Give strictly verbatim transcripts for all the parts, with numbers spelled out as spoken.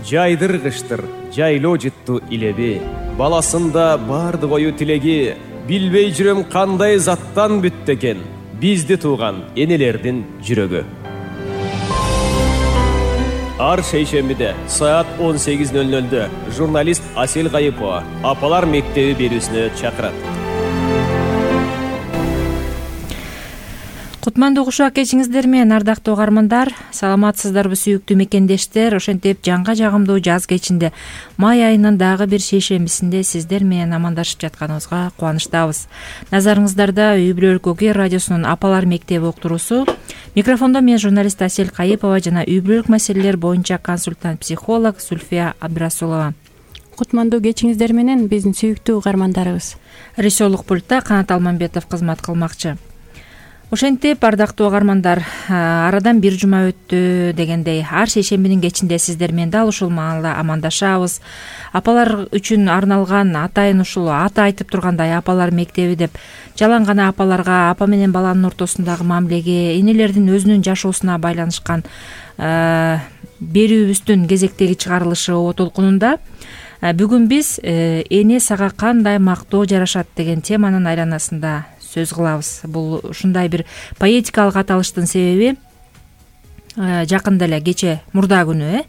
жайдыргычтыр жайлоо жытту илеби, баласында бардык ою тилеги, билбей жүрөм кандай заттан бүттү экен бизди тууган энелердин жүрөгү. Ар шейшембиде саат он сегиз ноль нольдө журналист Асель Кайыпова апалар мектеби берүүсүнө чакырат. Кутмандуу кушак кечиңиздер менен, ардактуу угармандар, саламатсыздарбы сүйүктүү мекендештер. Ошентип жаңга жагымдуу жаз кечинде май айынын дагы бир шейшембисинде сиздер менен амандашып жатканыбызга кубанычтабыз. Назарыңыздарда Үй бүлө өлкөгө радиосунун апалар мектеби уктуруусу. Микрофондо мен журналист Асель Кайыпова жана үй бүлөлүк маселелер боюнча консультант психолог Зульфия Абдрасулова. Кутмандуу кечиңиздер менен биздин сүйүктүү угармандарыбыз. Режиссерлук пультта Канат Алмамбетов кызмат кылмакчы. Ошентип, ардактуу угармандар, арадан бир жума өттү дегендей, ар шейшембинин кечинде сиздер менен дал ушул маалда амандашабыз. Апалар үчүн арналган, атайын ушул аты айтып тургандай апалар мектеби деп, жалаң гана апаларга, апа менен баланын ортосундагы мамилеге, энелердин өзүнүн жашоосуна байланышкан берүүбүздүн кезектеги чыгарылышы О толкунунда бүгүн биз эне сага кандай мактоо жарашат деген теманын айланасында сөз кылабыз. Бул ушундай бир поэтикалык аталыштын себеби жакында эле кече мурда күнү э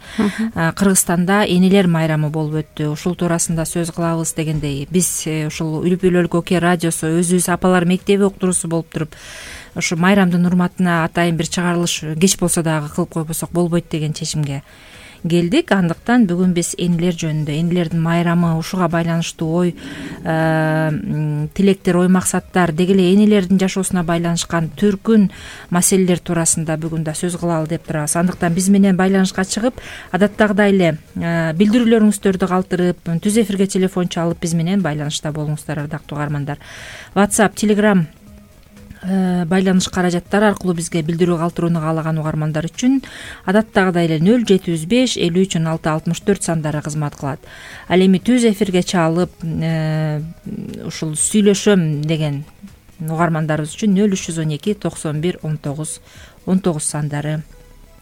Кыргызстанда энелер майрамы болуп өттү. Ушул туурасында сөз кылабыз дегендей, биз ушул Үй бүлө өлкөгө радиосу өзүбүз апалар мектеби уктуруусу болуп туруп, ушу майрамдын урматына атайын бир чыгарылыш кеч болсо дагы кылып койбосок болбойт деген чечимге келдик. Андыктан бүгүн биз энелер жөнүндө, энелердин майрамы, ушуга байланыштуу ой тилектер, ой максаттар, деги эле энелердин жашоосуна байланышкан түркүн маселелер туурасында бүгүн да сөз кылалы деп турабыз. Андыктан биз менен байланышка чыгып, адаттагыдай эле билдирүүлөрүңүздөрдү калтырып, түз эфирге телефон чалып биз менен байланышта болуңуздар, ардактуу угармандар. WhatsApp, Telegram байланыш каражаттары аркылуу бизге билдирүү калтырууну каалаган угармандар үчүн адаттагыдай эле нөл жети жүз беш элүү үч он алты алтымыш төрт сандары кызмат кылат. Ал эми түз эфирге чалып ушул сүйлөшөм деген угармандарыбыз үчүн нөл үч жүз он эки токсон бир он тогуз он тогуз сандары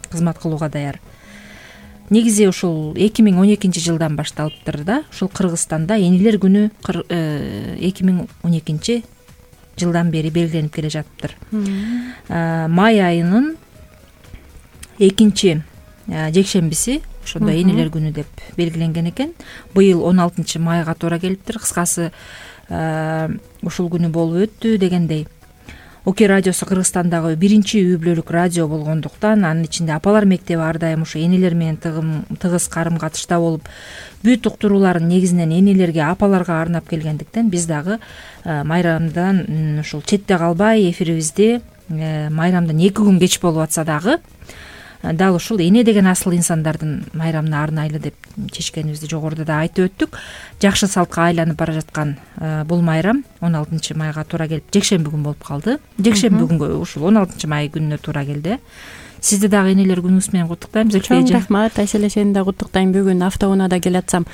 кызмат кылууга даяр. Негизи ушул эки миң он экинчи жылдан башталыптыр да, ушул Кыргызстанда энелер күнү эки миң он экинчи жылдан бери белгиленип келе жатыптыр. Май айынын экинчи жекшембиси ошондо энелер күнү деп белгиленген экен. Быйыл он алтынчы майга туура келиптир. Кыскасы ушул күнү болуп өттү дегендей. Оке радиосу Кыргызстандагы биринчи үй бүлөлүк радио болгондуктан, анын ичинде апалар мектеби ар дайым ушу энелер менен тыгыз карым катышта болуп, бүт уктурууларын негизинен энелерге, апаларга арнап келгендиктен биз дагы майрамдан ушул четте калбай эфирибизди майрамдан эки күн кеч болуп атса дагы дал ушул эне деген асыл инсандардын майрамына арнайлы деп чечкенибизди жогоруда да айтып өттүк. Жакшы салтка айланып бара жаткан бул майрам он алтынчы майга туура келип, жекшемби күн болуп калды. Жекшемби күнгө ушул он алтынчы май күнүнө туура келди. Сизди дагы энелер күнүңүз менен куттуктайм. Чоң рахмат, Айселе, сени да куттуктайм. Бүгүн автоунаада келатсам,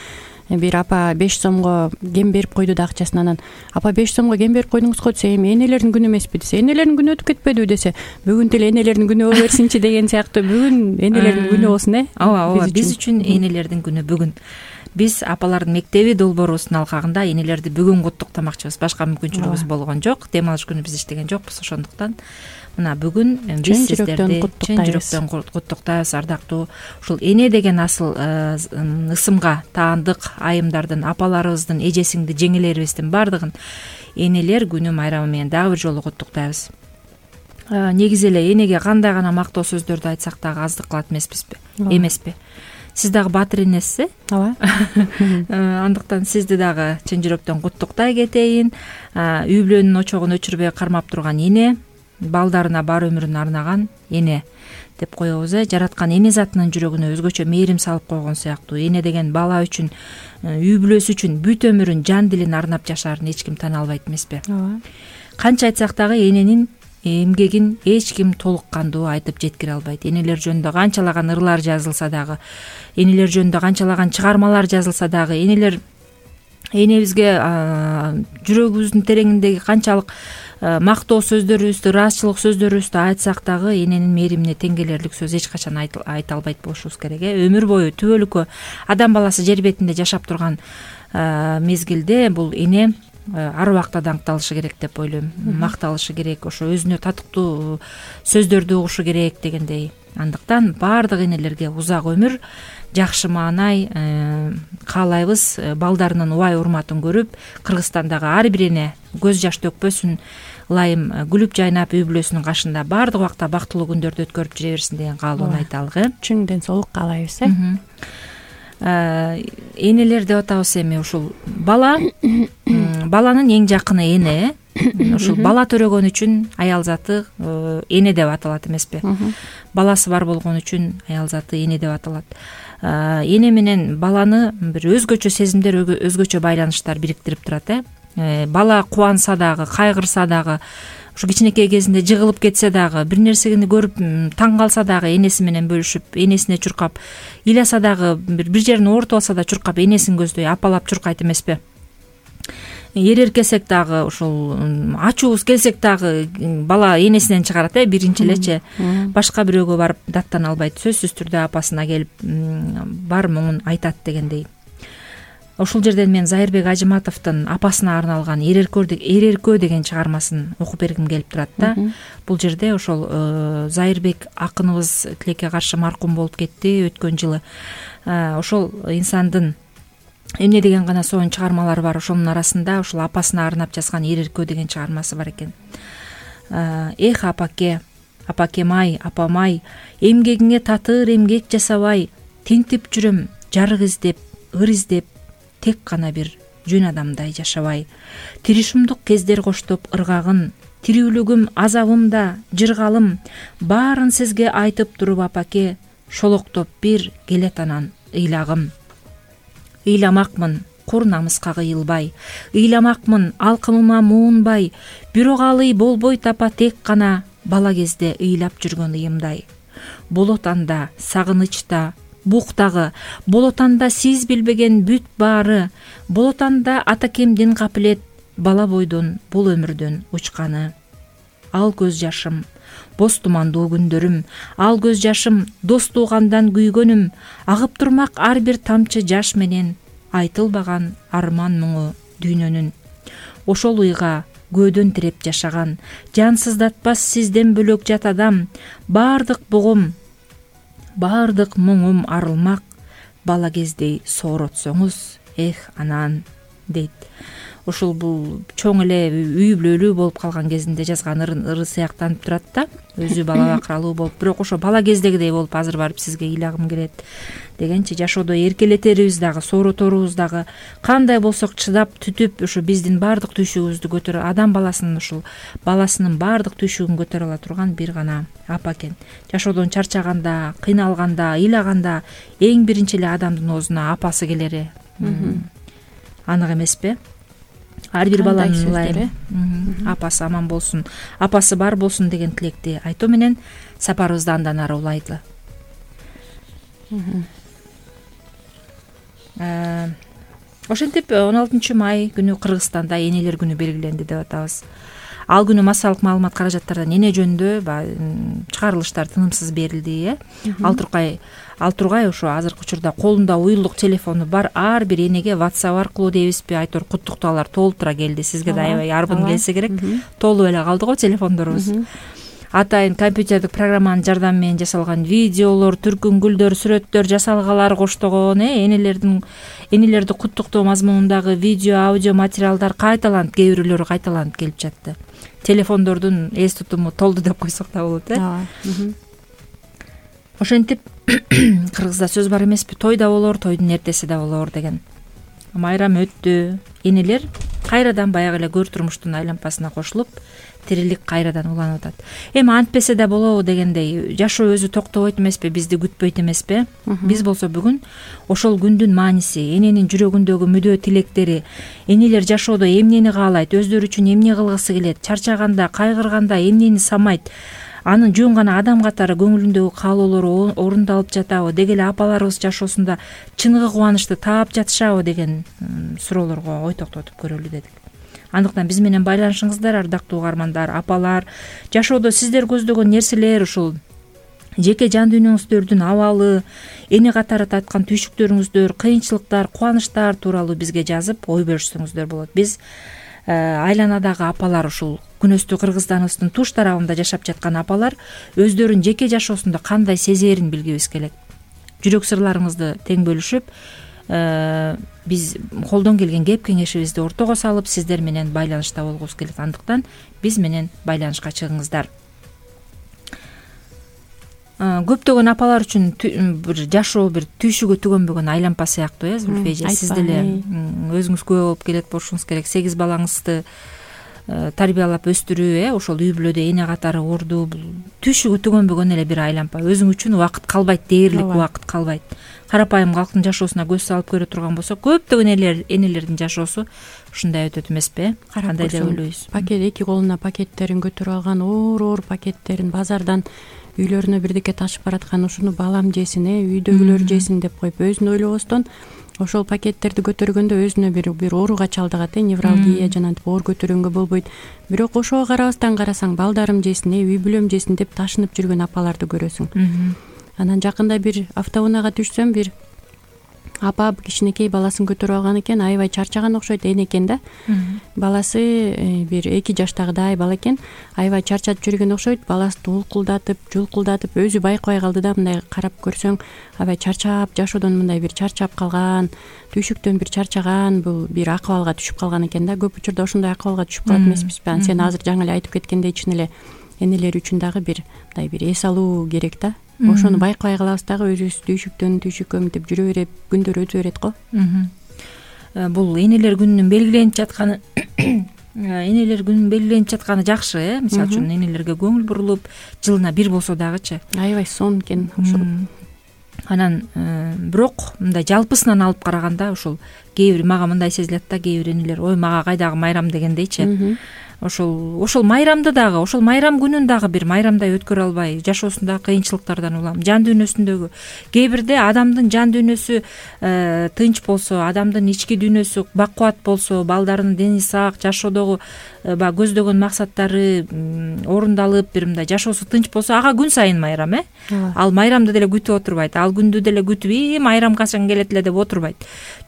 бир апа беш сомго кем берип койду да акчасын. Анан апа беш сомго кем берип койдуңуз го десе, эми энелердин күнү эмеспи десе, энелердин күнү өтүп кетпедиби десе, бүгүн деле энелердин күнү боло берсинчи деген сыяктуу. Бүгүн энелердин күнү болсун, э? Ооба, ооба, биз үчүн энелердин күнү бүгүн. Биз апалардын мектеби долбоорубуздун алкагында энелерди бүгүн куттуктамакчыбыз. Башка мүмкүнчүлүгүбүз болгон жок. Дем алыш күнү биз иштеген жокпуз, ошондуктан мына бүгүн биз сиздерди чын жүрөктөн куттуктайбыз, ардактуу ушул эне деген асыл ысымга таандык айымдардын, апаларыбыздын, эже жеңелерибиздин баардыгын энелер күнү майрамы менен дагы бир жолу куттуктайбыз. Негизи эле энеге кандай гана мактоо сөздөрдү айтсак дагы аздык кылат эмеспизби? Эмеспи? Сиз дагы баатыр энесиз, э? Ооба. Андыктан сизди дагы чын жүрөктөн куттуктай кетейин. Үй бүлөнүн очогун өчүрбөй кармап турган эне, балдарына бар өмүрүн арнаган эне деп коебуз, э? Жараткан эне затынын жүрөгүнө өзгөчө мээрим салып койгон сыяктуу. Эне деген бала үчүн, үй бүлөсү үчүн бүт өмүрүн, жан дилин арнап жашаарын эч ким тана албайт эмеспи? Ооба. Канча айтсак дагы эненин эмгегин эч ким толук кандуу айтып жеткире албайт. Энелер жөнүндө канчалаган ырлар жазылса дагы, энелер жөнүндө канчалаган чыгармалар жазылса дагы, энелер энебизге жүрөгүбүздүн тереңиндеги канчалык мактоо сөздөрүбүздү, ыраазычылык сөздөрүбүздү айтсак дагы эненин мээримине тең келерлик сөз эч качан айта албайт болушубуз керек. э өмүр бою түбөлүккө адам баласы жер бетинде жашап турган мезгилде бул эне ар убакта даңкталышы керек деп ойлойм, макталышы керек, ошо өзүнө татыктуу сөздөрдү угушу керек дегендей. Андыктан баардык энелерге узак өмүр, жакшы маанай каалайбыз. Балдарынын убай урматын көрүп, Кыргызстандагы ар бир эне көз жаш төкпөсүн, ылайым күлүп жайнап үй бүлөсүнүн кашында баардык убакта бактылуу күндөрдү өткөрүп жүрө берсин деген каалоону айталык. э Чың ден соолук каалайбыз. э Энелер деп атабыз эми ушул бала, баланын эң жакыны эне. Ушул бала төрөгөн үчүн аял заты эне деп аталат эмеспи? Баласы бар болгон үчүн аял заты эне деп аталат. Эне менен баланы бир өзгөчө сезимдер, өзгөчө байланыштар бириктирип турат. э Бала кубанса дагы, кайгырса дагы, ушу кичинекей кезинде жыгылып кетсе дагы, бир нерсени көрүп таң калса дагы энеси менен бөлүшүп, энесине чуркап, ыйласа дагы, бир бир жерин оорутуп алса да чуркап энесин көздөй апалап чуркайт эмеспи? Эреркесек дагы, ушул ачуубуз келсек дагы бала энесинен чыгарат, э биринчи элечи. Башка бирөөгө барып даттана албайт. Сөзсүз түрдө апасына келип бар муңун айтат дегендей. Ошол жерден мен Зайырбек Ажыматовдун апасына арналган Эреркөө деген чыгармасын окуп бергим келип турат да. Бул жерде ошол Зайырбек акыныбыз тилекке каршы маркум болуп кетти өткөн жылы. Ошол инсандын эмне деген гана сонун чыгармалары бар. Ошонун арасында ушул апасына арнап жазган Эреркөө деген чыгармасы бар экен. Эх апаке, апакем-ай, апам-ай, эмгегиңе татыр эмгек жасабай, тинтип жүрөм жарык издеп, ыр издеп, тек гана бир жөн адамдай жашабай. Тиришимдук кездер коштоп ыргагын, тирүүлүгүм, азабымда, жыргалым, баарын сизге айтып туруп апаке, шолоктоп бир келет анан ыйлагым. Ыйламакмын, кур намыска кыйылбай, ыйламакмын, алкымыма муунбай, бирок алый болбой тапа тек гана бала кезде ыйлап жүргөн ыйымдай. Болот анда сагынычта, буктагы, болот анда сиз билбеген бүт баары, болот анда атакемдин капилет, бала бойдон бул өмүрдөн учканы. Ал көз жашым, боз тумандуу күндөрүм, ал көз жашым, дос туугандан күйгөнүм, агып турмак ар бир тамчы жаш менен, айтылбаган арман муңу дүйнөнүн. Ошол уйга көөдөн тиреп жашаган, жансыздатпас сизден бөлөк жат адам, баардык бугум, баардык муңум арылмак, бала кездей сооротсоңуз, эх анан, дейт. Ушул бул чоң эле үй бүлөлүү болуп калган кезинде жазган ыры сыяктанып турат да, өзү бала бакыралуу болуп, бирок ошо бала кездегидей болуп азыр барып сизге ыйлагым келет дегенчи, жашоодо эркелетерибиз дагы, соороторубуз дагы, кандай болсок чыдап түтүп ушу биздин баардык түйшүгүбүздү көтөрө, адам баласынын ушул баласынын баардык түйшүгүн көтөрө ала турган бир гана апа экен. Жашоодон чарчаганда, кыйналганда, ыйлаганда эң биринчи эле адамдын оозуна апасы келери анык эмеспи? Ар бир баланын ылайым апасы аман болсун, апасы бар болсун деген тилекти айтуу менен сапарыбызды андан ары улайлы. Ошентип он алтынчы май күнү Кыргызстанда энелер күнү белгиленди деп атабыз. Ал күнү массалык маалымат каражаттардан эне жөнүндө чыгарылыштар тынымсыз берилди, э. Ал тургай ал тургай ошо азыркы учурда колунда уюлдук телефону бар ар бир энеге WhatsApp аркылуу дейбизби, айтор куттуктоолор толтура келди. Сизге да аябай арбын келсе керек. Толуп эле калды го телефондорубуз. Атайын компьютердик программанын жардамы менен жасалган видеолор, түркүнгүлдөр, сүрөттөр, жасалгалар коштогон, э, энелердин энелерди куттуктоо мазмунундагы видео, аудио материалдар кайталанып, кээ бирөөлөрү кайталанып келип жатты. Телефондордун эс тутуму толду деп койсок да болот, э. Ошентип кыргызда сөз бар эмеспи, той да болор, тойдун эртеси да болор деген. Майрам өттү, энелер кайрадан баягы эле көр турмуштун айлампасына кошулуп, тирилик кайрадан уланып атат. Эми антпесе да болобу дегендей, жашоо өзү токтобойт эмеспи, бизди күтпөйт эмеспи? Биз болсо бүгүн ошол күндүн мааниси, эненин жүрөгүндөгү мүдөө тилектери, энелер жашоодо эмнени каалайт, өздөрү үчүн эмне кылгысы келет, чарчаганда, кайгырганда эмнени самайт, анын жөн гана адам катары көңүлүндөгү каалоолору орундалып жатабы, деги эле апаларыбыз жашоосунда чыныгы кубанычты таап жатышабы деген суроолорго ой токтотуп көрөлү дедик. андыктан биз менен байланышыңыздар, ардактуу угармандар, апалар. Жашоодо сиздер көздөгөн нерселер, ушул жеке жан дүйнөңүздөрдүн абалы, эне катары таткан түйшүктөрүңүздөр, кыйынчылыктар, кубанычтар тууралуу бизге жазып ой бөлүшсөңүздөр болот. Биз айланадагы апалар, ушул күнөстүү Кыргызстаныбыздын туш тарабында жашап жаткан апалар өздөрүнүн жеке жашоосунда кандай сезерин билгибиз келет. Жүрөк сырларыңызды тең бөлүшүп, биз колдон келген кеп кеңешибизди ортого салып, сиздер менен байланышта болгубуз келет. Андыктан биз менен байланышка чыгыңыздар. Көптөгөн апалар үчүн бир жашоо бир түйшүгө түгөнбөгөн айлампа сыяктуу, э, Зүлфи эже. Сиз деле өзүңүз күбө болуп келет болушуңуз керек. сегиз балаңызды тарбиялап өстүрүү, э, ошол үй бүлөдө эне катары ордуу, түйшүгө түгөнбөгөн эле бир айлампа. Өзүң үчүн убакыт калбайт, дээрлик убакыт калбайт. Карапайым калктын жашоосуна көз салып көрө турган болсок, көптөгөн энелердин жашоосу ушундай өтөт эмеспи? Кандай деп ойлойсуз? Пакет, эки колуна пакеттерин көтөрүп алган, оор-оор пакеттерин базардан үйлөрүнө бирдеке ташып бараткан, ушуну балам жесин, э, үйдөгүлөр жесин деп коюп, өзүн ойлобостон ошол пакеттерди көтөргөндө өзүнө бир бир ооруга чалдыгат, э, невралгия жанагынтип оор көтөргөнгө болбойт. Бирок ошого карабастан карасаң, балдарым жесин, э, үй бүлөм жесин деп ташынып жүргөн апаларды көрөсүң. Анан жакында бир автоунаага түшсөм, бир апа кичинекей баласын көтөрүп алган экен, аябай чарчаган окшойт, эне экен да. Баласы бир эки жаштагыдай бала экен, аябай чарчап жүргөн окшойт. Баласы улкулдатып, жулкулдатып, өзү байкабай калды да, мындай карап көрсөң, аябай чарчап, жашоодон мындай бир чарчап калган, түйшүктөн бир чарчаган, бул бир акыбалга түшүп калган экен да. Көп учурда ошондой акыбалга түшүп калат эмеспизби? Сен азыр жаңы эле айтып кеткендей, чын эле энелер үчүн дагы бир мындай бир эс алуу керек да. Ошону байкабай калабыз дагы, өзүбүз түйшүктөн түйшүккө мынтип жүрө берип, күндөр өтө берет го. Бул энелер күнүнүн белгиленип жатканы энелер күнүнүн белгиленип жатканы жакшы, э. Мисалы үчүн энелерге көңүл бурулуп, жылына бир болсо дагычы. Аябай сон экен ошол. Анан бирок мындай жалпысынан алып караганда, ушул кээ бир мага мындай сезилет да, кээ бир энелер, ой мага кайдагы майрам дегендейчи. Ошол ошол майрамды дагы, ошол майрам күнүн дагы бир майрамдай өткөрө албай, жашоосундагы кыйынчылыктардан улам, жан дүйнөсүндөгү кээ бирде адамдын жан дүйнөсү тынч болсо, адамдын ички дүйнөсү бакубат болсо, балдарынын дени сак, жашоодогу баягы көздөгөн максаттары орундалып, бир мындай жашоосу тынч болсо, ага күн сайын майрам, э. Ал майрамды деле күтүп отурбайт, ал күндү деле күтүп, и майрам качан келет эле деп отурбайт.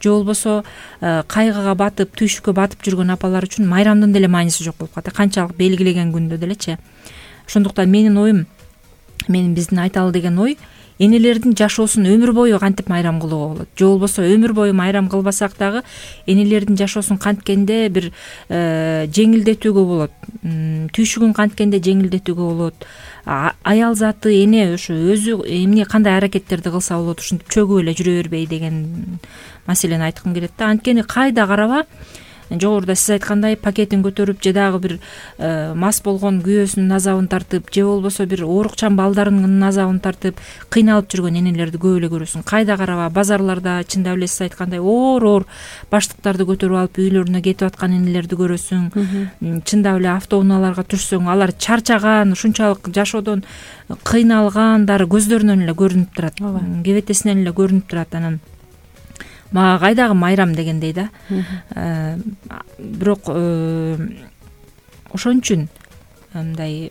Же болбосо кайгыга батып, түйшүккө батып жүргөн апалар үчүн майрамдын деле мааниси жок болуп калат. Канчалык белгилеген күндө делечи. Ошондуктан менин оюм, менин биздин айталы деген ой, энелердин жашоосун өмүр бою кантип майрам кылууга болот. Же болбосо өмүр бою майрам кылбасак дагы энелердин жашоосун канткенде бир жеңилдетүүгө болот. Түйшүгүн канткенде жеңилдетүүгө болот. Аял заты, эне ошо өзү эмне кандай аракеттерди кылса болот, ушинтип чөгүп эле жүрө бербей деген маселени айткым келет да. Анткени кайда караба, жогоруда сиз айткандай пакетин көтөрүп, же дагы бир мас болгон күйөөсүнүн азабын тартып, же болбосо бир оорукчан балдарынын азабын тартып кыйналып жүргөн энелерди көп эле көрөсүң. Кайда караба, базарларда чындап эле сиз айткандай оор-оор баштыктарды көтөрүп алып үйлөрүнө кетип аткан энелерди көрөсүң. Чындап эле автоунааларга түшсөң, алар чарчаган, ушунчалык жашоодон кыйналгандары көздөрүнөн эле көрүнүп турат, кебетесинен эле көрүнүп турат. Анан мага кайдагы майрам дегендей да. Бирок ошон үчүн мындай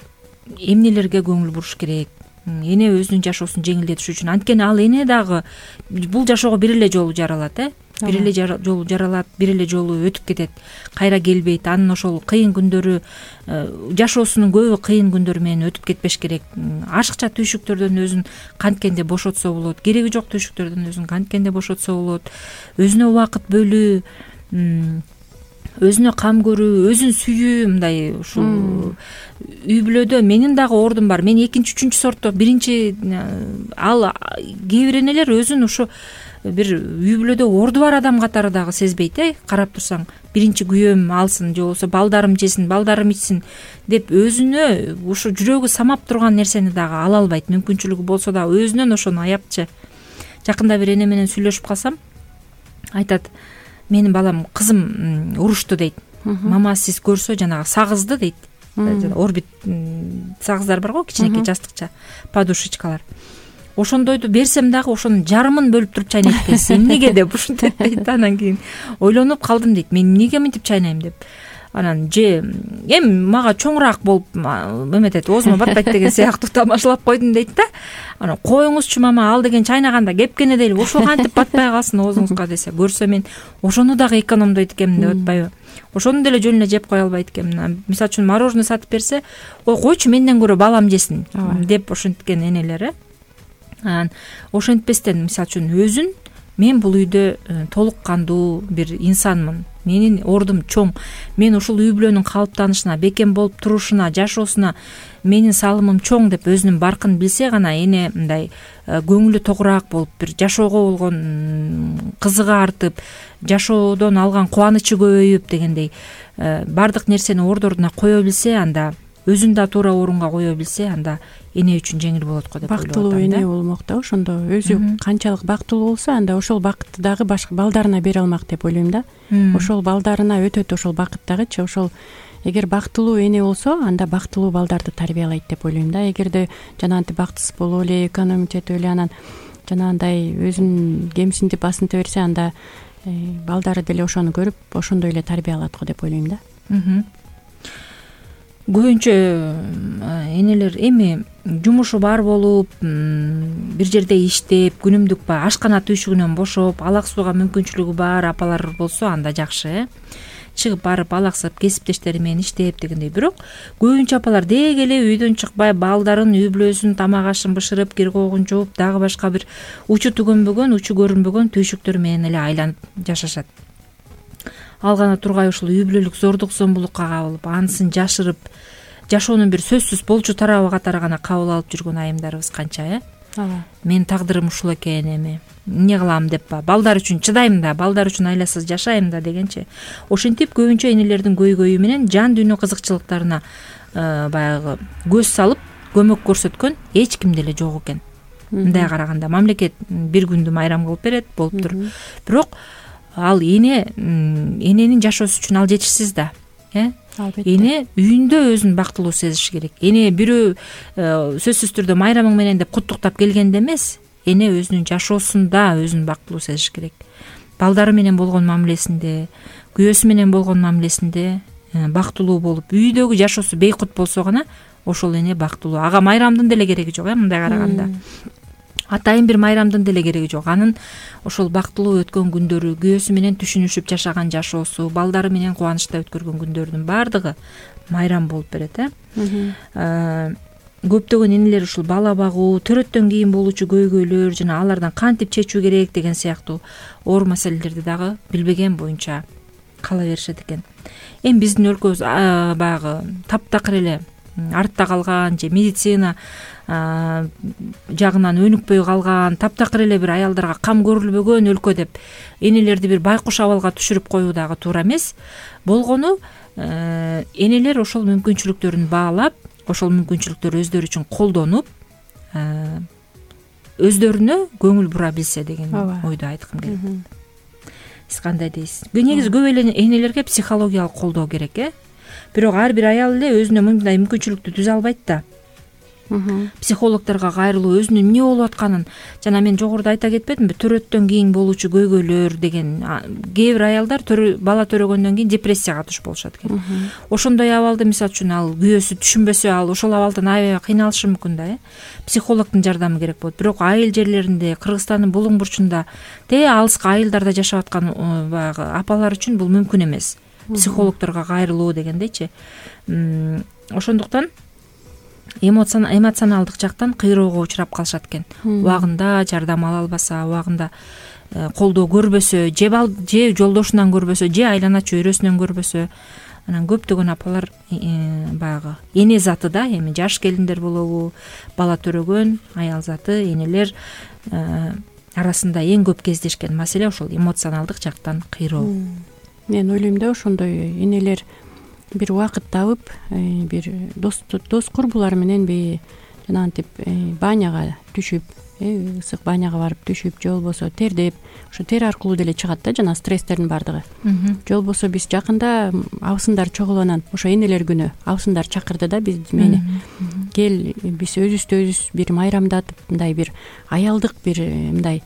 эмнелерге көңүл буруш керек, эне өзүнүн жашоосун жеңилдетиш үчүн. Анткени ал эне дагы бул жашоого бир эле жолу жаралат, э. Бир эле жолу жаралат, бир эле жолу өтүп кетет, кайра келбейт. Анын ошол кыйын күндөрү, жашоосунун көбү кыйын күндөр менен өтүп кетпеш керек. Ашыкча түйшүктөрдөн өзүн канткенде бошотсо болот, кереги жок түйшүктөрдөн өзүн канткенде бошотсо болот. Өзүнө убакыт бөлүү, өзүнө кам көрүү, өзүн сүйүү, мындай ушул үй бүлөдө менин дагы ордум бар. Мен экинчи, үчүнчү сортто, биринчи ал кээ бир энелер өзүн ушу бир үй бүлөдө орду бар адам катары дагы сезбейт, э. Карап турсаң, биринчи күйөөм алсын, же болбосо балдарым жесин, балдарым ичсин деп өзүнө ушу жүрөгү самап турган нерсени дагы ала албайт. Мүмкүнчүлүгү болсо да өзүнөн ошону аяпчы. Жакында бир эне менен сүйлөшүп калсам, айтат, менин балам, кызым урушту дейт. Мама сиз көрсө жанагы сагызды дейт. Орбит сагыздар бар го, кичинекей жастыкча подушечкалар. Ошондойду берсем дагы ошонун жарымын бөлүп туруп чайнайт экенсиз. Эмнеге деп ушинтип дейт. Анан кийин ойлонуп калдым дейт. Мен эмнеге мынтип чайнайм деп. анан же эми мага чоңураак болуп эметет, оозума батпайт деген сыяктуу тамашалап койдум дейт да. Анан коюңузчу мама, ал деген чайнаганда кепкене дейли, ошол кантип батпай калсын оозуңузга десе, көрсө мен ошону дагы экономдойт экенмин деп атпайбы. Ошону деле жөн эле жеп кое албайт экенмин. Мисалы үчүн мороженое сатып берсе, ой койчу менден көрө балам жесин деп ошенткен энелер э. Анан ошентпестен мисалы үчүн өзүн мен бул үйдө толук кандуу бир инсанмын, менин ордум чоң, мен ушул үй бүлөнүн калыптанышына, бекем болуп турушуна, жашоосуна менин салымым чоң деп өзүнүн баркын билсе гана эне мындай көңүлү тогураак болуп, бир жашоого болгон кызыгы артып, жашоодон алган кубанычы көбөйүп дегендей баардык нерсени орду ордуна кое билсе, анда өзүн да туура орунга кое билсе, анда эне үчүн жеңил болот го деп ойлоп атам. Бактылуу эне болмок да, ошондо өзү канчалык бактылуу болсо, анда ошол бакытты дагы башка балдарына бере алмак деп ойлойм да. Ошол балдарына өтөт ошол бакыт дагычы. Ошол эгер бактылуу эне болсо, анда бактылуу балдарды тарбиялайт деп ойлойм да. Эгерде жанагынтип бактысыз болуп эле, экономить этип эле, анан жанагындай өзүн кемсинтип басынта берсе, анда балдары деле ошону көрүп, ошондой эле тарбиялат го деп ойлойм да. Көбүнчө энелер эми жумушу бар болуп, бир жерде иштеп, күнүмдүк баягы ашкана түйшүгүнөн бошоп, алаксууга мүмкүнчүлүгү бар апалар болсо анда жакшы э. Чыгып барып алаксып кесиптештери менен иштеп дегендей. Бирок көбүнчө апалар деги эле үйдөн чыкпай, балдарын, үй бүлөсүн, тамак ашын бышырып, кир когун жууп, дагы башка бир учу түгөнбөгөн, учу көрүнбөгөн түйшүктөр менен эле айланып жашашат. Ал гана тургай ушул үй бүлөлүк зордук зомбулукка кабылып, анысын жашырып, жашоонун бир сөзсүз болчу тарабы катары гана кабыл алып жүргөн айымдарыбыз канча э. Ооба. Мен тагдырым ушул экен, эми эмне кылам деп ба, балдар үчүн чыдайм да, балдар үчүн айласыз жашайм да дегенчи. Ошентип көбүнчө энелердин көйгөйү менен жан дүйнө кызыкчылыктарына баягы көз салып көмөк көрсөткөн эч ким деле жок экен. Мындай караганда мамлекет бир күндү майрам кылып берет, болуптур. Бирок ал эне эненин жашоосу үчүн ал жетишсиз да э. Эне үйүндө өзүн бактылуу сезиш керек. Эне бирөө сөзсүз түрдө майрамың менен деп куттуктап келгенде эмес, эне өзүнүн жашоосунда өзүн бактылуу сезиш керек. Балдары менен болгон мамилесинде, күйөөсү менен болгон мамилесинде бактылуу болуп, үйдөгү жашоосу бейкут болсо гана ошол эне бактылуу. Ага майрамдын деле кереги жок э, мындай караганда. Атайын бир майрамдын деле кереги жок. Анын ошол бактылуу өткөн күндөрү, күйөөсү менен түшүнүшүп жашаган жашоосу, балдары менен кубанычта өткөргөн күндөрдүн баардыгы майрам болуп берет э. Көптөгөн энелер ушул бала багуу, төрөттөн кийин болуучу көйгөйлөр жана алардан кантип чечүү керек деген сыяктуу оор маселелерди дагы билбеген боюнча кала беришет экен. Эми биздин өлкөбүз баягы таптакыр эле артта калган же медицина жагынан өнүкпөй калган, таптакыр эле бир аялдарга кам көрүлбөгөн өлкө деп энелерди бир байкуш абалга түшүрүп коюу дагы туура эмес. Болгону энелер ошол мүмкүнчүлүктөрүн баалап, ошол мүмкүнчүлүктөрү өздөрү үчүн колдонуп, өздөрүнө көңүл бура билсе деген ойду айткым келет. Сиз кандай дейсиз? Негизи көп эле энелерге психологиялык колдоо керек э. Бирок ар бир аял эле өзүнө мындай мүмкүнчүлүктү түзө албайт да. Психологдорго кайрылуу, өзүнүн эмне болуп атканын, жана мен жогоруда айта кетпедимби, төрөттөн кийин болуучу көйгөйлөр деген, кээ бир аялдар бала төрөгөндөн кийин депрессияга туш болушат экен. Ошондой абалды мисалы үчүн ал күйөөсү түшүнбөсө, ал ошол абалдан аябай кыйналышы мүмкүн да э. Психологдун жардамы керек болот. Бирок айыл жерлеринде, Кыргызстандын булуң бурчунда, те алыска айылдарда жашап аткан баягы апалар үчүн бул мүмкүн эмес. Психологдорго кайрылуу дегендейчи. Ошондуктан эмоционалдык жактан кыйроого учурап калышат экен. Убагында жардам ала албаса, убагында колдоо көрбөсө, же же жолдошунан көрбөсө, же айлана чөйрөсүнөн көрбөсө, анан көптөгөн апалар баягы эне заты да, эми жаш келиндер болобу, бала төрөгөн аял заты, энелер арасында эң көп кездешкен маселе ошол эмоционалдык жактан кыйроо. Мен ойлойм да, ошондой энелер бир убакыт табып, бир дос дос курбулар мененби жанагынтип баняга түшүп, ысык баняга барып түшүп, же болбосо тердеп, ошо тер аркылуу деле чыгат да жана стресстердин баардыгы. Же болбосо биз жакында абысындар чогулуунан, ошо энелер күнү абысындар чакырды да биз мени. Кел, биз өзүбүздү өзүбүз бир майрамдатып, мындай бир аялдык бир мындай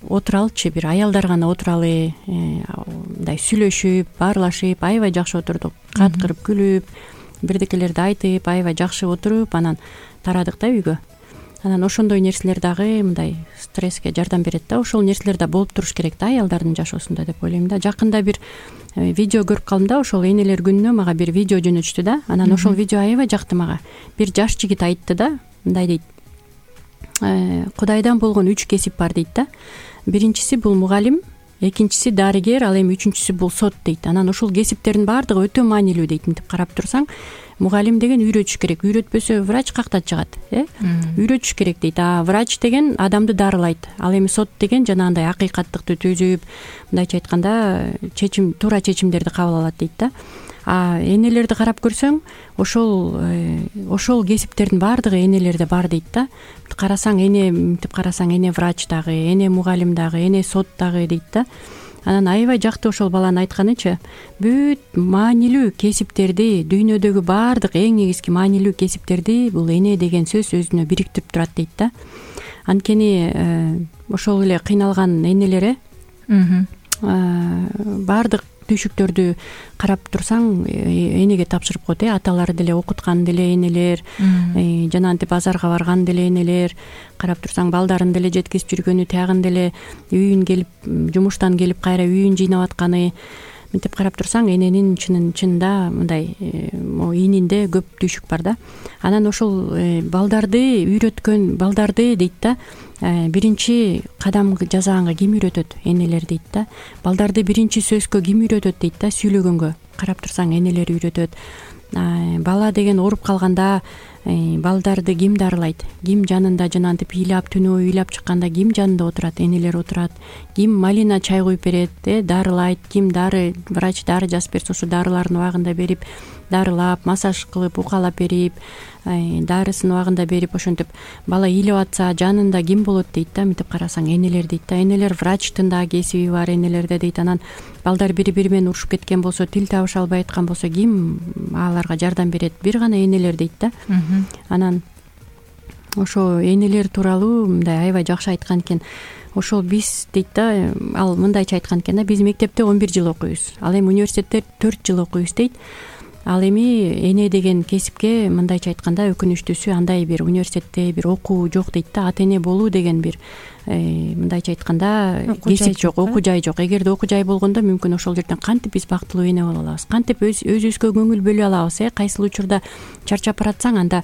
отуралычы, бир аялдар гана отуралы, мындай сүйлөшүп, баарлашып, аябай жакшы отурдук. каткырып күлүп бирдекелерди айтып аябай жакшы отуруп анан тарадык да үйгө. Анан ошондой нерселер дагы мындай стресске жардам берет да. Ошол нерселер да болуп туруш керек да аялдардын жашоосунда деп ойлойм да. Жакында бир видео көрүп калдым да, ошол энелер күнүнө мага бир видео жөнөтүштү да. Анан ошол видео аябай жакты мага. Бир жаш жигит айтты да, мындай дейт: Кудайдан болгон үч кесип бар дейт да. Биринчиси бул мугалим, экинчиси дарыгер, ал эми үчүнчүсү бул сот дейт. Анан ушул кесиптердин баардыгы өтө маанилүү дейт. Мынтип карап турсаң, мугалим деген үйрөтүш керек, үйрөтпөсө врач кактан чыгат, э үйрөтүш керек дейт. А врач деген адамды дарылайт. Ал эми сот деген жанагындай акыйкаттыкты түзүп, мындайча айтканда чечим, туура чечимдерди кабыл алат дейт да. А энелерди карап көрсөң, ошол ошол кесиптердин баардыгы энелерде бар дейт да. Карасаң эне, мынтип карасаң эне врач дагы, эне мугалим дагы, эне сот дагы дейт да. Анан аябай жакты ошол баланын айтканычы, бүт маанилүү кесиптерди, дүйнөдөгү баардык эң негизги маанилүү кесиптерди бул эне деген сөз өзүнө бириктирип турат дейт да. Анткени ошол эле кыйналган энелер э баардык түйшүктөрдү карап турсаң энеге тапшырып коет, э аталары деле окуткан деле энелер, жанагынтип базарга барган деле энелер, карап турсаң балдарын деле жеткизип жүргөнү, тягын деле үйүн келип, жумуштан келип кайра үйүн жыйнап атканы. Мынтип карап турсаң эненин чынын чынында мындай иининде көп түйшүк бар да. Анан ошол балдарды үйрөткөн, балдарды дейт да, биринчи кадам жасаганга ким үйрөтөт? Энелер дейт да. Балдарды биринчи сөзгө ким үйрөтөт дейт да, сүйлөгөнгө. Карап турсаң энелер үйрөтөт. Бала деген ооруп калганда балдарды ким дарылайт? Ким жанында жанагынтип ыйлап, түнөө ыйлап чыкканда ким жанында отурат? Энелер отурат. Ким малина чай куюп берет, э дарылайт? Ким дары, врач дары жазып берсе, ошо дарыларын убагында берип, дарылап, массаж кылып, укалап берип, дарысын убагында берип, ошентип бала ыйлап атса жанында ким болот дейт да. Мынтип карасаң энелер дейт да. Энелер врачтын да кесиби бар энелерде дейт. Анан балдар бири-бири менен урушуп кеткен болсо, тил табыша албай аткан болсо ким аларга жардам берет? Бир гана энелер дейт да. Анан ошо энелер тууралуу мындай аябай жакшы айткан экен. Ошол биз дейт да, ал мындайча айткан экен да, биз мектепте он бир жыл окуйбуз, ал эми университетте төрт жыл окуйбуз дейт. Ал эми эне деген кесипке мындайча айтканда өкүнүчтүүсү андай бир университетте бир окуу жок дейт да. Ата эне болуу деген бир мындайча айтканда кесип жок, окуу жай жок. Эгерде окуу жай болгондо мүмкүн ошол жерден кантип биз бактылуу эне боло алабыз, кантип өзүбүзгө көңүл бөлө алабыз, э кайсыл учурда чарчап баратсаң анда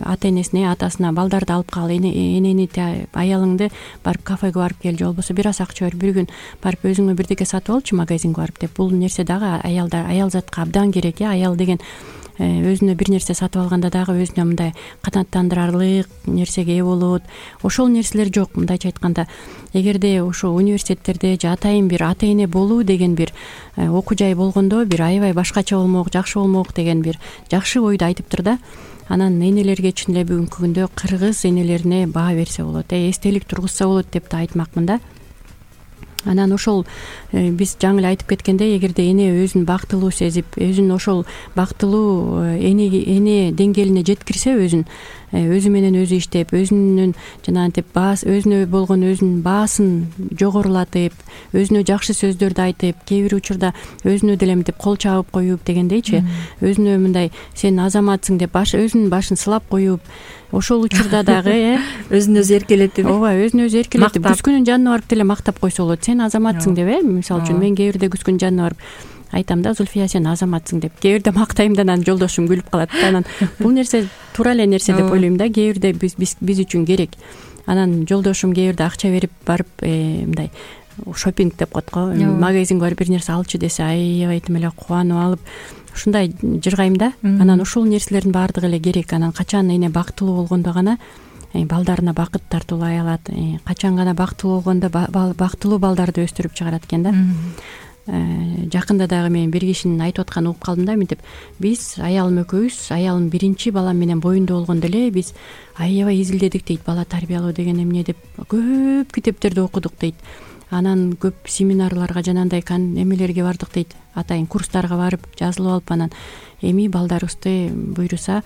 ата энесине, атасына балдарды алып кал, энени, аялыңды барып кафеге барып кел, же болбосо бир аз акча бер, бир күн барып өзүңө бирдеке сатып алчы магазинге барып деп. Бул нерсе дагы аялдар, аял затка абдан керек, э аял деген өзүнө бир нерсе сатып алганда дагы өзүнө мындай канааттандырарлык нерсеге ээ болот. Ошол нерселер жок. Мындайча айтканда, эгерде ошо университеттерде же атайын бир ата эне болуу деген бир окуу жай болгондо бир аябай башкача болмок, жакшы болмок деген бир жакшы ойду айтыптыр да. Анан энелерге чын эле бүгүнкү күндө кыргыз энелерине баа берсе болот, э эстелик тургузса болот деп да айтмакмын да. Анан ошол биз жаңы эле айтып кеткендей, эгерде эне өзүн бактылуу сезип, өзүн ошол бактылуу эне эне деңгээлине жеткирсе, өзүн өзү менен өзү иштеп, өзүнүн жанагынтип баас, өзүнө болгон өзүнүн баасын жогорулатып, өзүнө жакшы сөздөрдү айтып, кээ бир учурда өзүнө деле мынтип кол чабып коюп дегендейчи, өзүнө мындай сен азаматсың деп баш өзүнүн башын сылап коюп, ошол учурда дагы э өзүн өзү эркелетип, ооба, өзүн өзү эркелетип, күскүнүн жанына барып деле мактап койсо болот. Сен азаматсың деп, э мисалы үчүн мен кээ бирде күскүнүн жанына барып айтам да, Зульфия сен азаматсың деп, кээ бирде мактайм да, анан жолдошум күлүп калат да. Анан бул нерсе туура эле нерсе деп ойлойм да, кээ бирде биз биз үчүн керек. Анан жолдошум кээ бирде акча берип барып мындай шопинг деп коет го, магазинге барып бир нерсе алчы десе, аябай тим эле кубанып алып ушундай жыргайм да. Анан ошол нерселердин баардыгы эле керек. Анан качан эне бактылуу болгондо гана балдарына бакыт тартуулай алат, качан гана бактылуу болгондо бактылуу балдарды өстүрүп чыгарат экен да. Жакында дагы мен бир кишинин айтып атканын угуп калдым да, мынтип биз аялым экөөбүз, аялым биринчи балам менен боюнда болгондо эле биз аябай изилдедик дейт, бала тарбиялоо деген эмне деп, көп китептерди окудук дейт. Анан көп семинарларга жанагындай эмелерге бардык дейт, атайын курстарга барып жазылып алып, анан эми балдарыбызды буйруса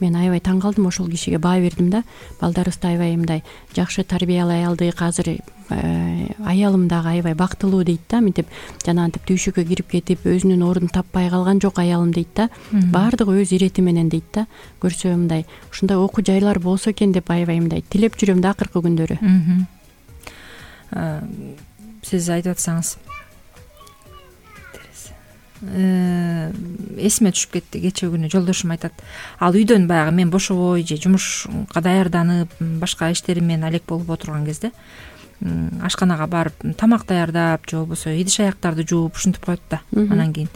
мен аябай таң калдым, ошол кишиге баа бердим да. Балдарыбызды аябай мындай жакшы тарбиялай алдык, азыр аялым дагы аябай бактылуу дейт да, мынтип жанагынтип түйшүккө кирип кетип өзүнүн ордун таппай калган жок аялым дейт да. Баардыгы өз ирети менен дейт да. Көрсө мындай ушундай окуу жайлар болсо экен деп аябай мындай тилеп жүрөм да акыркы күндөрү. Сиз айтып атсаңыз эсиме түшүп кетти. Кечээ күнү жолдошум айтат, ал үйдөн баягы мен бошобой же жумушка даярданып башка иштерим менен алек болуп отурган кезде ашканага барып тамак даярдап же болбосо идиш аяктарды жууп ушинтип коет да. Анан кийин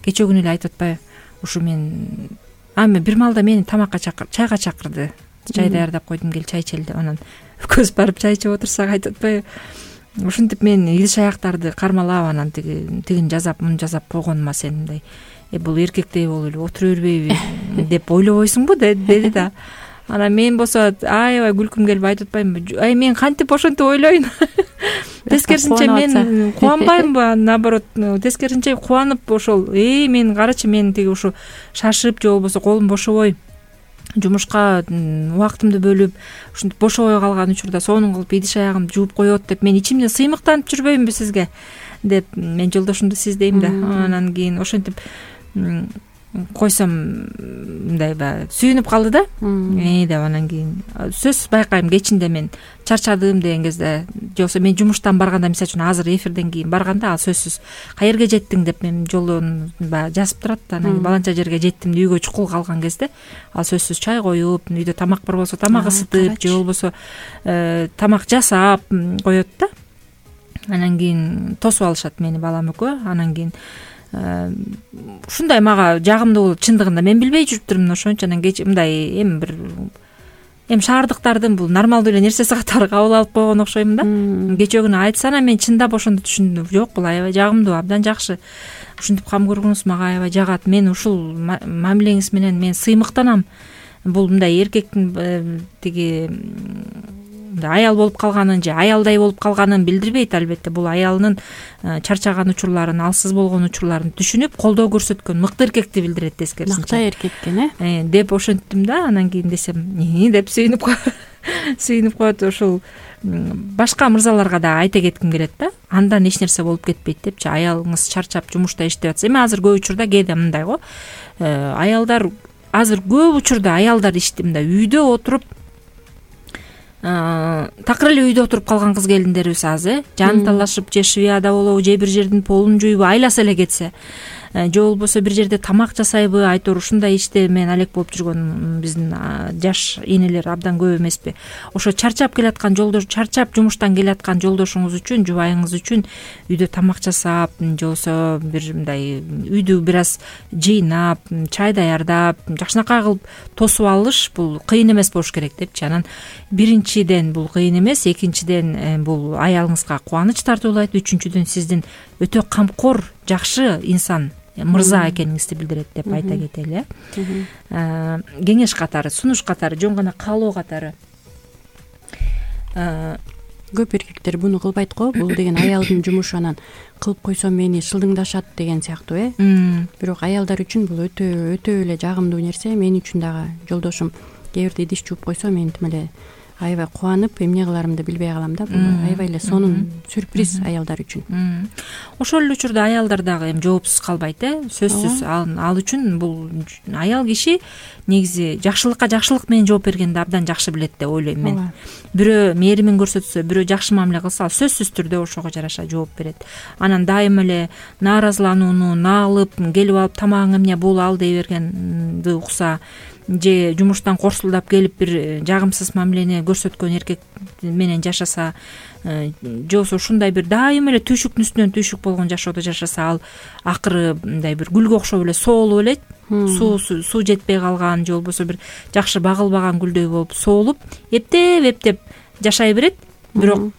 кечээ күнү эле айтып атпайбы, ушу мен ами бир маалда мени тамакка чакыр чайга чакырды, чай даярдап койдум, кел чай ичели деп. Анан экөөбүз барып чай ичип отурсак айтып атпайбы, ушинтип мен идиш аяктарды кармалап анан тиги тигин жасап муну жасап койгонума сен мындай э бул эркектей болуп эле отура бербейби деп ойлобойсуңбу деди да. Анан мен болсо аябай күлкүм келип айтып атпаймынбы, ай мен кантип ошентип ойлойн. Тескерисинче мен кубанбаймынбы, наоборот тескерисинче кубанып ошол э мен карачы мен тиги ушу шашып же болбосо колум бошобой жумушка убактымды бөлүп ушинтип бошобой калган учурда сонун кылып идиш аягымды жууп коет деп мен ичимден сыймыктанып жүрбөймүнбү сизге деп мен жолдошумду сиз дейм да. Анан кийин ошентип койсом мындай баягы сүйүнүп калды да э деп. Анан кийин сөзсүз байкайм кечинде мен чарчадым деген кезде же болбосо мен жумуштан барганда, мисалы үчүн азыр эфирден кийин барганда ал сөзсүз каерге жеттиң деп мен жолдон баягы жазып турат да. Анан кийин баланча жерге жеттим деп үйгө чукул калган кезде ал сөзсүз чай коюп, үйдө тамак бар болсо тамак ысытып же болбосо тамак жасап коет да. Анан кийин тосуп алышат мени балам экөө. Анан кийин ушундай мага жагымдуу болуп, чындыгында мен билбей жүрүптүрмүн ошончу. Анан кечээ мындай эми бир эми шаардыктардын бул нормалдуу эле нерсеси катары кабыл алып койгон окшоймун да. Кечээ күнү айтса анан мен чындап ошондо түшүндүм, жок бул аябай жагымдуу, абдан жакшы. Ушинтип кам көргөнүңүз мага аябай жагат. Мен ушул мамилеңиз менен мен сыймыктанам. Бул мындай эркектин тиги аял болуп калганын же аялдай болуп калганын билдирбейт албетте. Бул аялынын чарчаган учурларын, алсыз болгон учурларын түшүнүп колдоо көрсөткөн мыкты эркекти билдирет тескерисинче. Мыкты эркек экен э деп ошенттим да. Анан кийин десем деп сүйүнүп сүйүнүп коет. Ошол башка мырзаларга да айта кетким келет да. Андан эч нерсе болуп кетпейт депчи. Аялыңыз чарчап жумушта иштеп атса, эми азыр көп учурда кээде мындай го, аялдар азыр көп учурда аялдар ишти мындай үйдө отуруп такыр эле үйдө отуруп калган кыз келиндерибиз аз э жан талашып же швеяда болобу же бир жердин полун жуйбу, айласа эле кетсе же болбосо бир жерде тамак жасайбы, айтор ушундай иште менен алек болуп жүргөн биздин жаш энелер абдан көп эмеспи. Ошо чарчап келаткан жолдош, чарчап жумуштан келаткан жолдошуңуз үчүн, жубайыңыз үчүн үйдө тамак жасап же болбосо бир мындай үйдү бир аз жыйнап, чай даярдап, жакшынакай кылып тосуп алыш бул кыйын эмес болуш керек депчи. Анан биринчиден бул кыйын эмес, экинчиден бул аялыңызга кубаныч тартуулайт, үчүнчүдөн сиздин өтө камкор, жакшы инсан, мырза экениңизди билдирет деп айта кетели э. Кеңеш катары, сунуш катары, жөн гана каалоо катары. Көп эркектер буну кылбайт го. Бул деген аялдын жумушу, анан кылып койсом мени шылдыңдашат деген сыяктуу э. Бирок аялдар үчүн бул өтө өтө эле жагымдуу нерсе. Мен үчүн дагы жолдошум кээ бирде идиш жууп койсо мен тим эле аябай кубанып эмне кыларымды билбей калам да. Бул аябай эле сонун сюрприз аялдар үчүн. Ошол эле учурда аялдар дагы эми жоопсуз калбайт э. Сөзсүз ал үчүн бул аял киши негизи жакшылыкка жакшылык менен жооп бергенди абдан жакшы билет деп ойлойм мен. Бирөө мээримин көрсөтсө, бирөө жакшы мамиле кылса, ал сөзсүз түрдө ошого жараша жооп берет. Анан дайыма эле нааразыланууну, наалып, келип алып тамагың эмне бул ал дей бергенди укса, же жумуштан корсулдап келип бир жагымсыз мамилени көрсөткөн эркек менен жашаса, же болбосо ушундай бир дайыма эле түйшүктүн үстүнөн түйшүк болгон жашоодо жашаса, ал акыры мындай бир гүлгө окшоп эле соолуп элет. Суу суу жетпей калган же болбосо бир жакшы багылбаган гүлдөй болуп соолуп, эптеп эптеп жашай берет. Бирок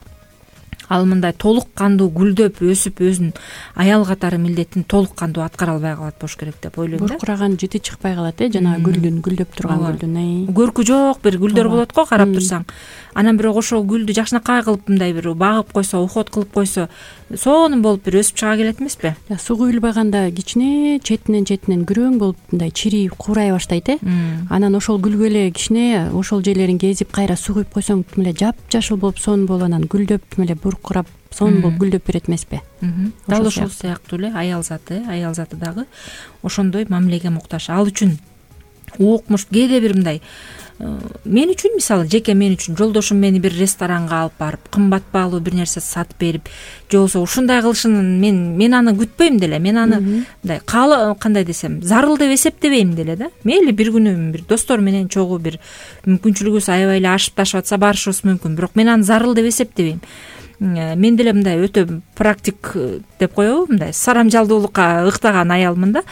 ал мындай толук кандуу гүлдөп өсүп өзүнүн аял катары милдетин толук кандуу аткара албай калат болуш керек деп ойлойм да. Буркураган жити чыкпай калат э жанагы гүлдүн, гүлдөп турган гүлдүн. Көркү жок бир гүлдөр болот го карап турсаң. Анан бирок ошол гүлдү жакшынакай кылып мындай бир багып койсо, уход кылып койсо, сонун болуп бир өсүп чыга келет эмеспи? Суу куюлбаганда кичине четинен четинен күрөң болуп мындай чирип куурай баштайт э. Анан ошол гүлгө эле кичине ошол жерлерин кезип кайра суу куюп койсоң эле жапжашыл болуп сонун болуп анан гүлдөп эле буркурап сонун болуп гүлдөп берет эмеспи? Дал ошол сыяктуу эле аял заты, аял заты дагы ошондой мамилеге муктаж. Ал үчүн укмуш кээде бир мындай мен үчүн, мисалы жеке мен үчүн жолдошум мени бир ресторанга алып барып, кымбат баалуу бир нерсе сатып берип, же болбосо ушундай кылышын мен мен аны күтпөйм деле. Мен аны мындай каалы кандай десем, зарыл деп эсептебейм деле да. Мейли бир күнү бир достор менен чогуу бир мүмкүнчүлүгүбүз аябай эле ашып ташып атса барышыбыз мүмкүн, бирок мен аны зарыл деп эсептебейм. Мен деле мындай өтө практик деп коебу, мындай сарамжалдуулукка ыктаган аялмын да.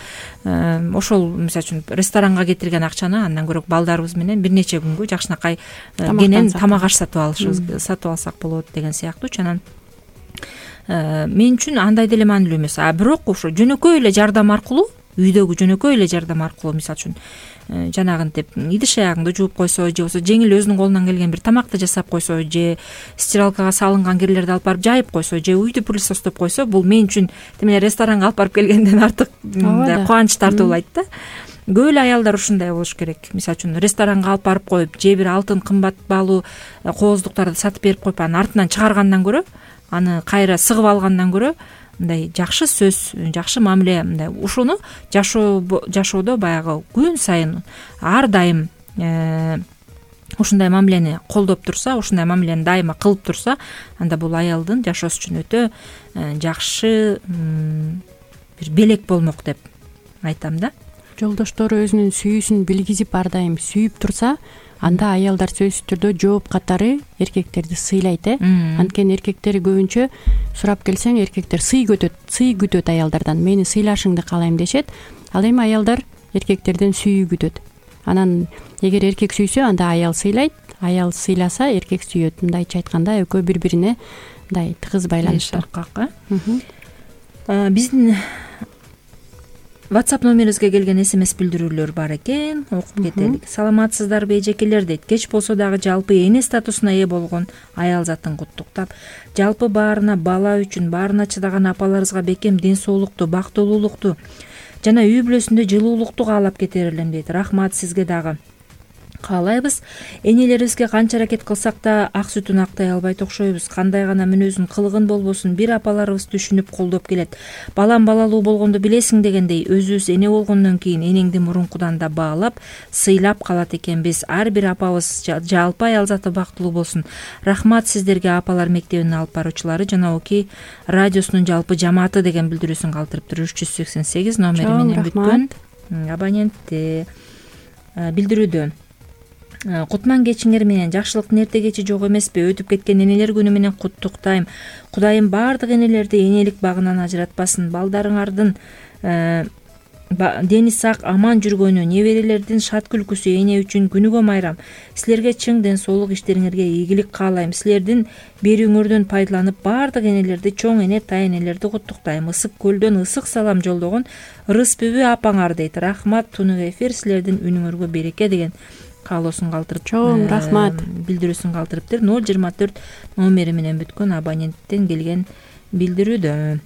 Ошол мисалы үчүн ресторанга кетирген акчаны андан көрө балдарыбыз менен бир нече күнгө жакшынакай кенен тамак аш сатып алышыбыз, сатып алсак болот деген сыяктуу. Анан мен үчүн андай деле маанилүү эмес. А бирок ошо жөнөкөй эле жардам аркылуу, үйдөгү жөнөкөй эле жардам аркылуу, мисалы үчүн жанагынтип идиш аягыңды жууп койсо, же болбосо жеңил өзүнүн колунан келген бир тамакты жасап койсо, же стиралкага салынган кирлерди алып барып жайып койсо, же үйдү пылесостоп койсо, бул мен үчүн тимеле ресторанга алып барып келгенден артык кубанч тартуулайт да. Көп эле аялдар ушундай болуш керек. Мисалы үчүн ресторанга алып барып коюп, же бир алтын кымбат баалуу кооздуктарды сатып берип коюп, анын артынан чыгаргандан көрө, аны кайра сыгып алгандан көрө мындай жакшы сөз, жакшы мамиле, мындай ушуну жашоо жашоодо баягы күн сайын ар дайым ушундай мамилени колдоп турса, ушундай мамилени дайыма кылып турса, анда бул аялдын жашоосу үчүн өтө жакшы бир белек болмок деп айтам да. Жолдоштору өзүнүн сүйүүсүн билгизип ар дайым сүйүп турса, анда аялдар сөзсүз түрдө жооп катары эркектерди сыйлайт э. Анткени эркектер көбүнчө сурап келсең, эркектер сый күтөт, сый күтөт аялдардан. Мени сыйлашыңды каалайм дешет. Ал эми аялдар эркектерден сүйүү күтөт. Анан эгер эркек сүйсө, анда аял сыйлайт, аял сыйласа эркек сүйөт. Мындайча айтканда экөө бири-бирине мындай тыгыз байланыштар. Биздин WhatsApp номерибизге келген смс билдирүүлөр бар экен, окуп кетелик. Саламатсыздарбы эжекелер дейт. Кеч болсо дагы жалпы эне статусуна ээ болгон аял затын куттуктап, жалпы баарына бала үчүн баарына чыдаган апаларыбызга бекем ден соолукту, бактылуулукту жана үй бүлөсүндө жылуулукту каалап кетер элем дейт. Рахмат сизге дагы. Каалайбыз. Энелерибизге канча аракет кылсак да ак сүтүн актай албайт окшойбуз. Кандай гана мүнөзүн кылыгын болбосун бир апаларыбыз түшүнүп колдоп келет. Балам балалуу болгондо билесиң дегендей, өзүбүз эне болгондон кийин энеңди мурункудан да баалап, сыйлап калат экенбиз. Ар бир апабыз жалпы аял заты бактылуу болсун. Рахмат сиздерге, апалар мектебинин алып баруучулары жана Оки радиосунун жалпы жамааты деген билдирүүсүн калтырыптыр. үч жүз сексен сегиз номери менен бүткөн абонентте билдирүүдө. Кутман кечиңер менен, жакшылыктын эрте кечи жок эмеспи? Өтүп кеткен энелер күнү менен куттуктайм. Кудайым баардык энелерди энелик багынан ажыратпасын. Балдарыңардын дени сак, аман жүргөнү, неберелердин шат күлкүсү эне үчүн күнүгө майрам. Силерге чың ден соолук, иштериңерге ийгилик каалайм. Силердин берүүңөрдөн пайдаланып баардык энелерди, чоң эне, тай энелерди куттуктайм. Ысык көлдөн ысык салам жолдогон Рыспүбү апаңар дейт. Рахмат, тунук эфир, силердин үнүңөргө береке деген каалоосун калтырып, чоң рахмат билдирүүсүн калтырыптыр. ноль жыйырма төрт номери менен бүткөн абоненттен келген билдирүүдө.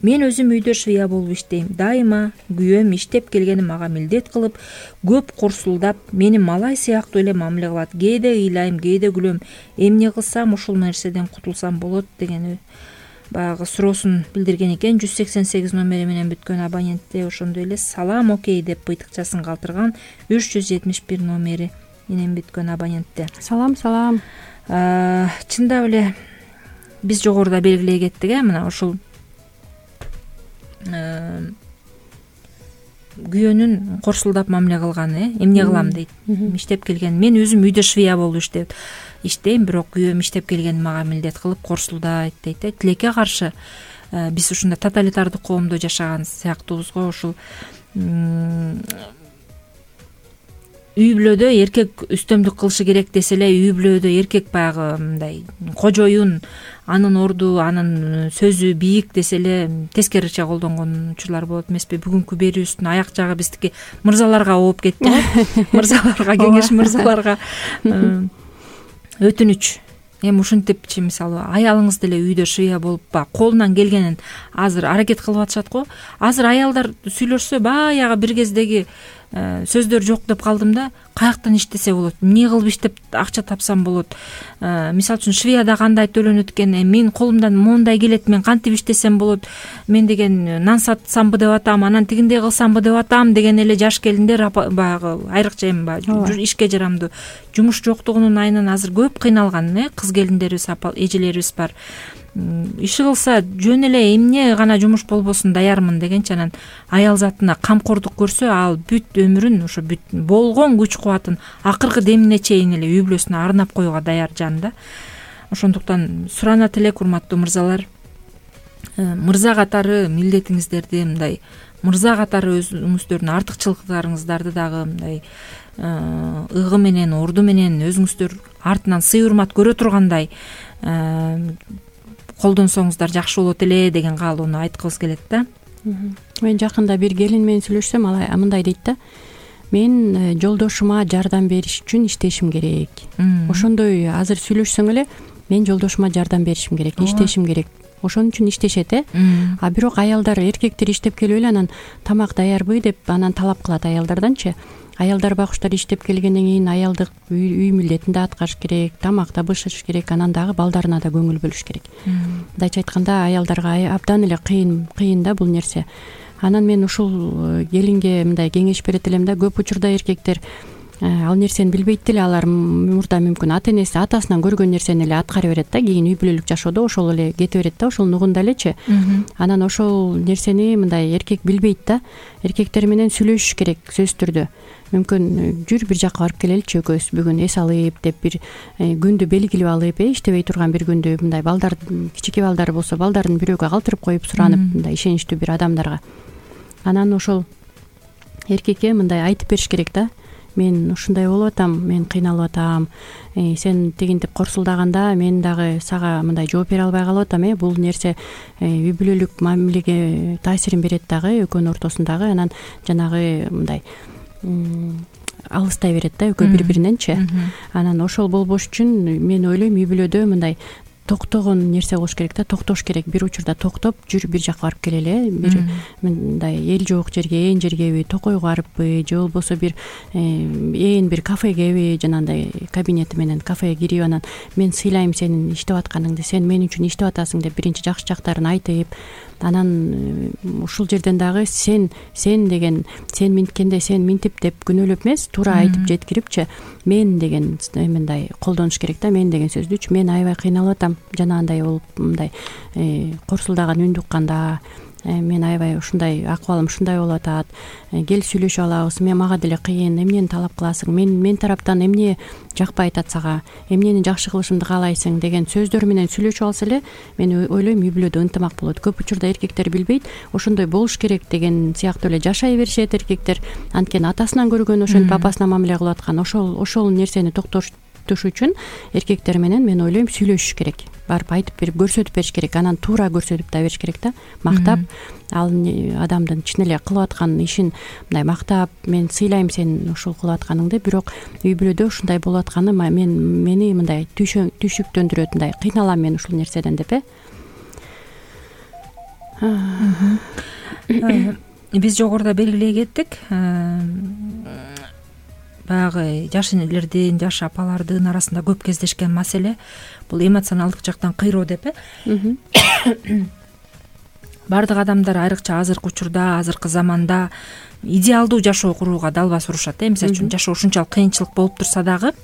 Мен өзүм үйдө швея болуп иштейм. Дайыма күйөөм иштеп келгени мага милдет кылып, көп курсулдап, мени малай сыяктуу эле мамиле кылат. Кээде ыйлайм, кээде күлөм. Эмне кылсам ушул нерседен кутулсам болот деген баягы суроосун билдирген экен. жүз сексен сегиз номери менен бүткөн абонентте ошондой эле салам окей деп быйтыкчасын калтырган үч жүз жетимиш бир номери менен бүткөн абонентте. Салам, салам. Чындап эле биз жогоруда белгилей кеттик э, мына ушул күйөөнүн корсулдап мамиле кылганы, э, эмне кылам дейт. Иштеп келген, мен өзүм үйдө швея болуп иштеп иштейм, бирок күйөөм иштеп келген мага милдет кылып корсулдайт дейт. Тилекке каршы биз ушундай тоталитардык коомдо жашаган сыяктуубуз го. Ушул үй бүлөдө эркек үстөмдүк кылышы керек десе эле, үй бүлөдө эркек баягы мындай кожоюн, анын орду, анын сөзү бийик десе эле тескериче колдонгон учурлар болот эмеспи? Бүгүнкү берүүбүздүн аяк жагы биздики мырзаларга ооп кетти го. Мырзаларга кеңеш, мырзаларга өтүнүч. Эми ушинтипчи, мисалы, аялыңыз деле үйдө шыя болуп баягы колунан келгенин азыр аракет кылып атышат го. Азыр аялдар сүйлөшсө баягы бир кездеги сөздөр жок деп калдым да. Каяктан иштесе болот, эмне кылып иштеп акча тапсам болот, мисалы үчүн швеяда кандай төлөнөт экен, мен колумдан моундай келет, мен кантип иштесем болот, мен деген нан сатсамбы деп атам, анан тигиндей кылсамбы деп атам деген эле жаш келиндер баягы айрыкча эми баягы ишке жарамдуу жумуш жоктугунун айынан азыр көп кыйналган э кыз келиндерибиз, апа эжелерибиз бар. Иши кылса жөн эле эмне гана жумуш болбосун даярмын дегенчи, анан аял затына камкордук көрсө, ал бүт өмүрүн, ошо бүт болгон күч кубатын акыркы демине чейин эле үй бүлөсүнө арнап коюуга даяр жан да. Ошондуктан суранат элек, урматтуу мырзалар, мырза катары милдетиңиздерди, мындай мырза катары өзүңүздөрдүн артыкчылыктарыңыздарды дагы мындай ыгы менен, орду менен өзүңүздөр артынан сый урмат көрө тургандай колдонсоңуздар жакшы болот эле деген каалоону айткыбыз келет да. Мен жакында бир келин менен сүйлөшсөм, ал мындай дейт да: мен жолдошума жардам бериш үчүн иштешим керек. Ошондой азыр сүйлөшсөң эле, мен жолдошума жардам беришим керек, иштешим керек. Ошон үчүн иштешет э. А бирок аялдар, эркектер иштеп келип эле анан тамак даярбы деп анан талап кылат аялдарданчы. Аялдар байкуштар иштеп келгенден кийин аялдык үй милдетин да аткарыш керек, тамак да бышырыш керек, анан дагы балдарына да көңүл бөлүш керек. Мындайча айтканда, аялдарга абдан эле кыйын кыйын да бул нерсе. Анан мен ушул келинге мындай кеңеш берет элем да, көп учурда эркектер ал нерсени билбейт деле, алар мурда мүмкүн ата энеси, атасынан көргөн нерсени эле аткара берет да, кийин үй бүлөлүк жашоодо ошол эле кете берет да, ошол угунда элечи. Анан ошол нерсени мындай эркек билбейт да. Эркектер менен сүйлөшүш керек сөзсүз түрдө. Мүмкүн жүр бир жака барып келеличи экөөбүз бүгүн эс алып деп бир күндү белгилеп алып, э иштебей турган бир күндү, мындай балдар, кичике балдар болсо балдарын бирөөгө калтырып коюп суранып, мындай ишеничтүү бир адамдарга. Анан ошол эркекке мындай айтып бериш керек да: мен ушундай болуп атам, мен кыйналып атам, сен тигинтип корсулдаганда мен дагы сага мындай жооп бере албай калып атам, э бул нерсе үй бүлөлүк мамилеге таасирин берет дагы экөөнүн ортосундагы. Анан жанагы мындай алыстай берет да экөө бири бириненчи. Анан ошол болбош үчүн мен ойлойм, үй бүлөдө мындай токтогон нерсе болуш керек да, токтош керек. Бир учурда токтоп, жүр бир жака барып келели, бир мындай эл жок жерге, ээн жергеби, токойго барыппы, же болбосо бир ээн бир кафегеби, жанагындай кабинети менен кафеге кирип, анан мен сыйлайм сенин иштеп атканыңды, сен мен үчүн иштеп атасың деп биринчи жакшы жактарын айтып, анан ушул жерден дагы сен сен деген, сен минткенде сен минтип деп күнөөлөп эмес, туура айтып жеткирипчи, мен деген мындай колдонуш керек да, мен деген сөздүчү. Мен аябай кыйналып атам, жанагындай болуп мындай корсулдаган үндү укканда, мен аябай ушундай акыбалым ушундай болуп атат, кел сүйлөшүп алабыз, мен мага деле кыйын, эмнени талап кыласың, мен мен тараптан эмне жакпай атат сага, эмнени жакшы кылышымды каалайсың деген сөздөр менен сүйлөшүп алса эле, мен ойлойм үй бүлөдө ынтымак болот. Көп учурда эркектер билбейт, ошондой болуш керек деген сыяктуу эле жашай беришет эркектер. Анткени атасынан көргөн, ошентип апасына мамиле кылып аткан. Ошол ошол нерсени токтотуш үчүн эркектер менен мен ойлойм сүйлөшүш керек, барып айтып берип көрсөтүп бериш керек, анан туура көрсөтүп да бериш керек да, мактап, ал адамдын чын эле кылып аткан ишин мындай мактап, мен сыйлайм сен ушул кылып атканыңды, бирок үй бүлөдө ушундай болуп атканы мен мени мындай түйшүктөндүрөт, мындай кыйналам мен ушул нерседен деп э. Биз жогоруда белгилей кеттик, баягы жаш энелердин, жаш апалардын арасында көп кездешкен маселе бул эмоционалдык жактан кыйроо деп э. Бардык адамдар айрыкча азыркы учурда, азыркы заманда идеалдуу жашоо курууга далбас урушат э. Мисалы үчүн жашоо ушунчалык кыйынчылык болуп турса дагы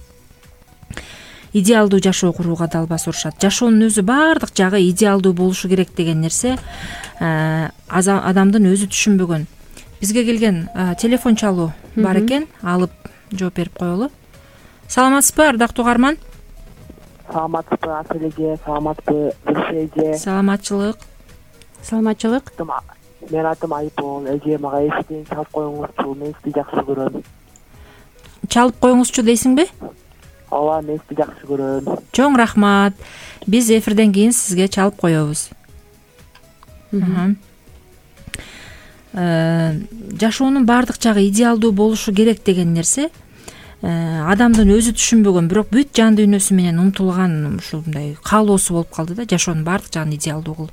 идеалдуу жашоо курууга далбас урушат. Жашоонун өзү баардык жагы идеалдуу болушу керек деген нерсе адамдын өзү түшүнбөгөн. Бизге келген телефон чалуу бар экен, алып жооп берип коелу. Саламатсызбы, ардактуу угарман? Саламатсызбы, Асележе, саламатсызбы, Гүлшеже? Саламатчылык. Саламатчылык. Мен атым Айпол, эже мага эшиктен чалып коюңузчу, мен сизди жакшы көрөм. чалып коюңузчу дейсиңби? ооба, мен сизди жакшы көрөм. Чоң рахмат. Биз эфирден кийин сизге чалып коебуз. Жашоонун баардык жагы идеалдуу болушу керек деген нерсе адамдын өзү түшүнбөгөн, бирок бүт жан дүйнөсү менен умтулган ушундай каалоосу болуп калды да, жашоонун баардык жагын идеалдуу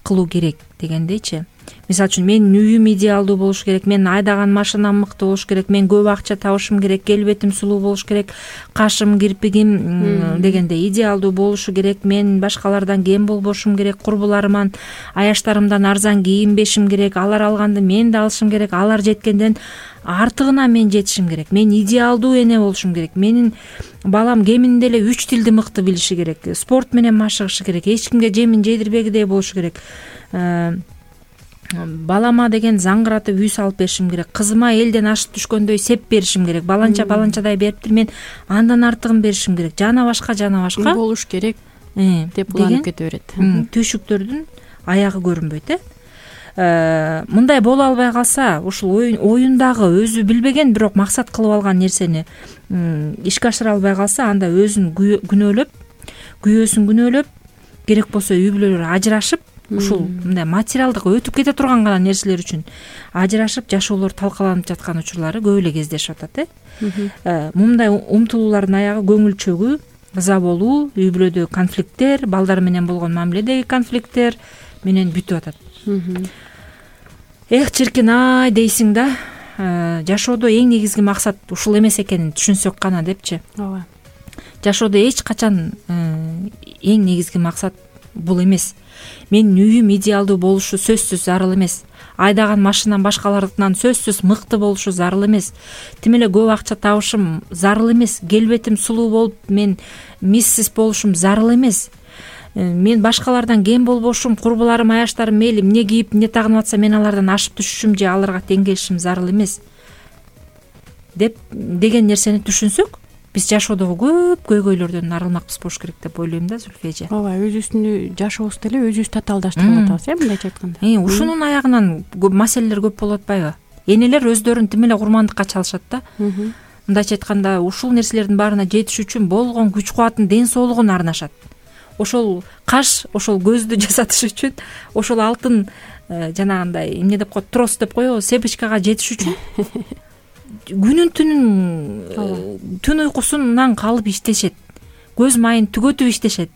кылуу керек дегендейчи. Мисалы үчүн менин үйүм идеалдуу болуш керек, менин айдаган машинам мыкты болуш керек, мен көп акча табышым керек, келбетим сулуу болуш керек, кашым, кирпигим дегендей идеалдуу болушу керек, мен башкалардан кем болбошум керек, курбуларыман, аяштарымдан арзан кийинбешим керек, алар алганды мен да алышым керек, алар жеткенден артыгына мен жетишим керек, мен идеалдуу эне болушум керек, менин балам кеминде эле үч тилди мыкты билиши керек, спорт менен машыгышы керек, эч кимге жемин жейдирбегидей болушу керек, балама деген заңгыратып үй салып беришим керек, кызыма элден ашып түшкөндөй сеп беришим керек, баланча баланчадай бериптир, мен андан артыгын беришим керек, жана башка жана башка үй болуш керек деп уланып кете берет. Түйшүктөрдүн аягы көрүнбөйт. Э мындай боло албай калса, ушул оюндагы өзү билбеген, бирок максат кылып алган нерсени ишке ашыра албай калса, анда өзүн күнөөлөп, күйөөсүн күнөөлөп, керек болсо үй бүлөлөр ажырашып, ушул мындай материалдык өтүп кете турган гана нерселер үчүн ажырашып, жашоолор талкаланып жаткан учурлары көп эле кездешип атат. Э мындай умтулуулардын аягы көңүл чөгүү, ыза болуу, үй бүлөдө конфликттер, балдар менен болгон мамиледеги конфликттер менен бүтүп атат. Эх, чиркин ай дейсиң да, жашоодо эң негизги максат ушул эмес экенин түшүнсөк гана депчи. Ооба. Жашоодо эч качан эң негизги максат бул эмес. Менин үйүм идеалдуу болушу сөзсүз зарыл эмес. Айдаган машинам башкалардыкынан сөзсүз мыкты болушу зарыл эмес. Тим эле көп акча табышым зарыл эмес. Келбетим сулуу болуп, мен миссис болушум зарыл эмес. Мен башкалардан кем болбошум, курбуларым, аяштарым мейли эмне кийип, эмне тагынып атса мен алардан ашып түшүшүм же аларга тең келишим зарыл эмес деп деген нерсени түшүнсөк, биз жашоодогу көп көйгөйлөрдөн арылмакпыз болуш керек деп ойлойм да, Зүлфия эже. Ооба, өзүбүздүн жашообузду эле өзүбүз татаалдаштырып атабыз, э, мындайча айтканда. Ушунун аягынан маселелер көп болуп атпайбы? Энелер өздөрүн тим эле курмандыкка чалышат да. Мындайча айтканда, ушул нерселердин баарына жетиш үчүн болгон күч кубатын, ден соолугун арнашат. Ошол каш, ошол көздү жасатыш үчүн, ошол алтын жанагындай эмне деп коет, трос деп коебу, сепочкага жетиш үчүн күнүн түнүн түн уйкусунан калып иштешет, көз майын түгөтүп иштешет,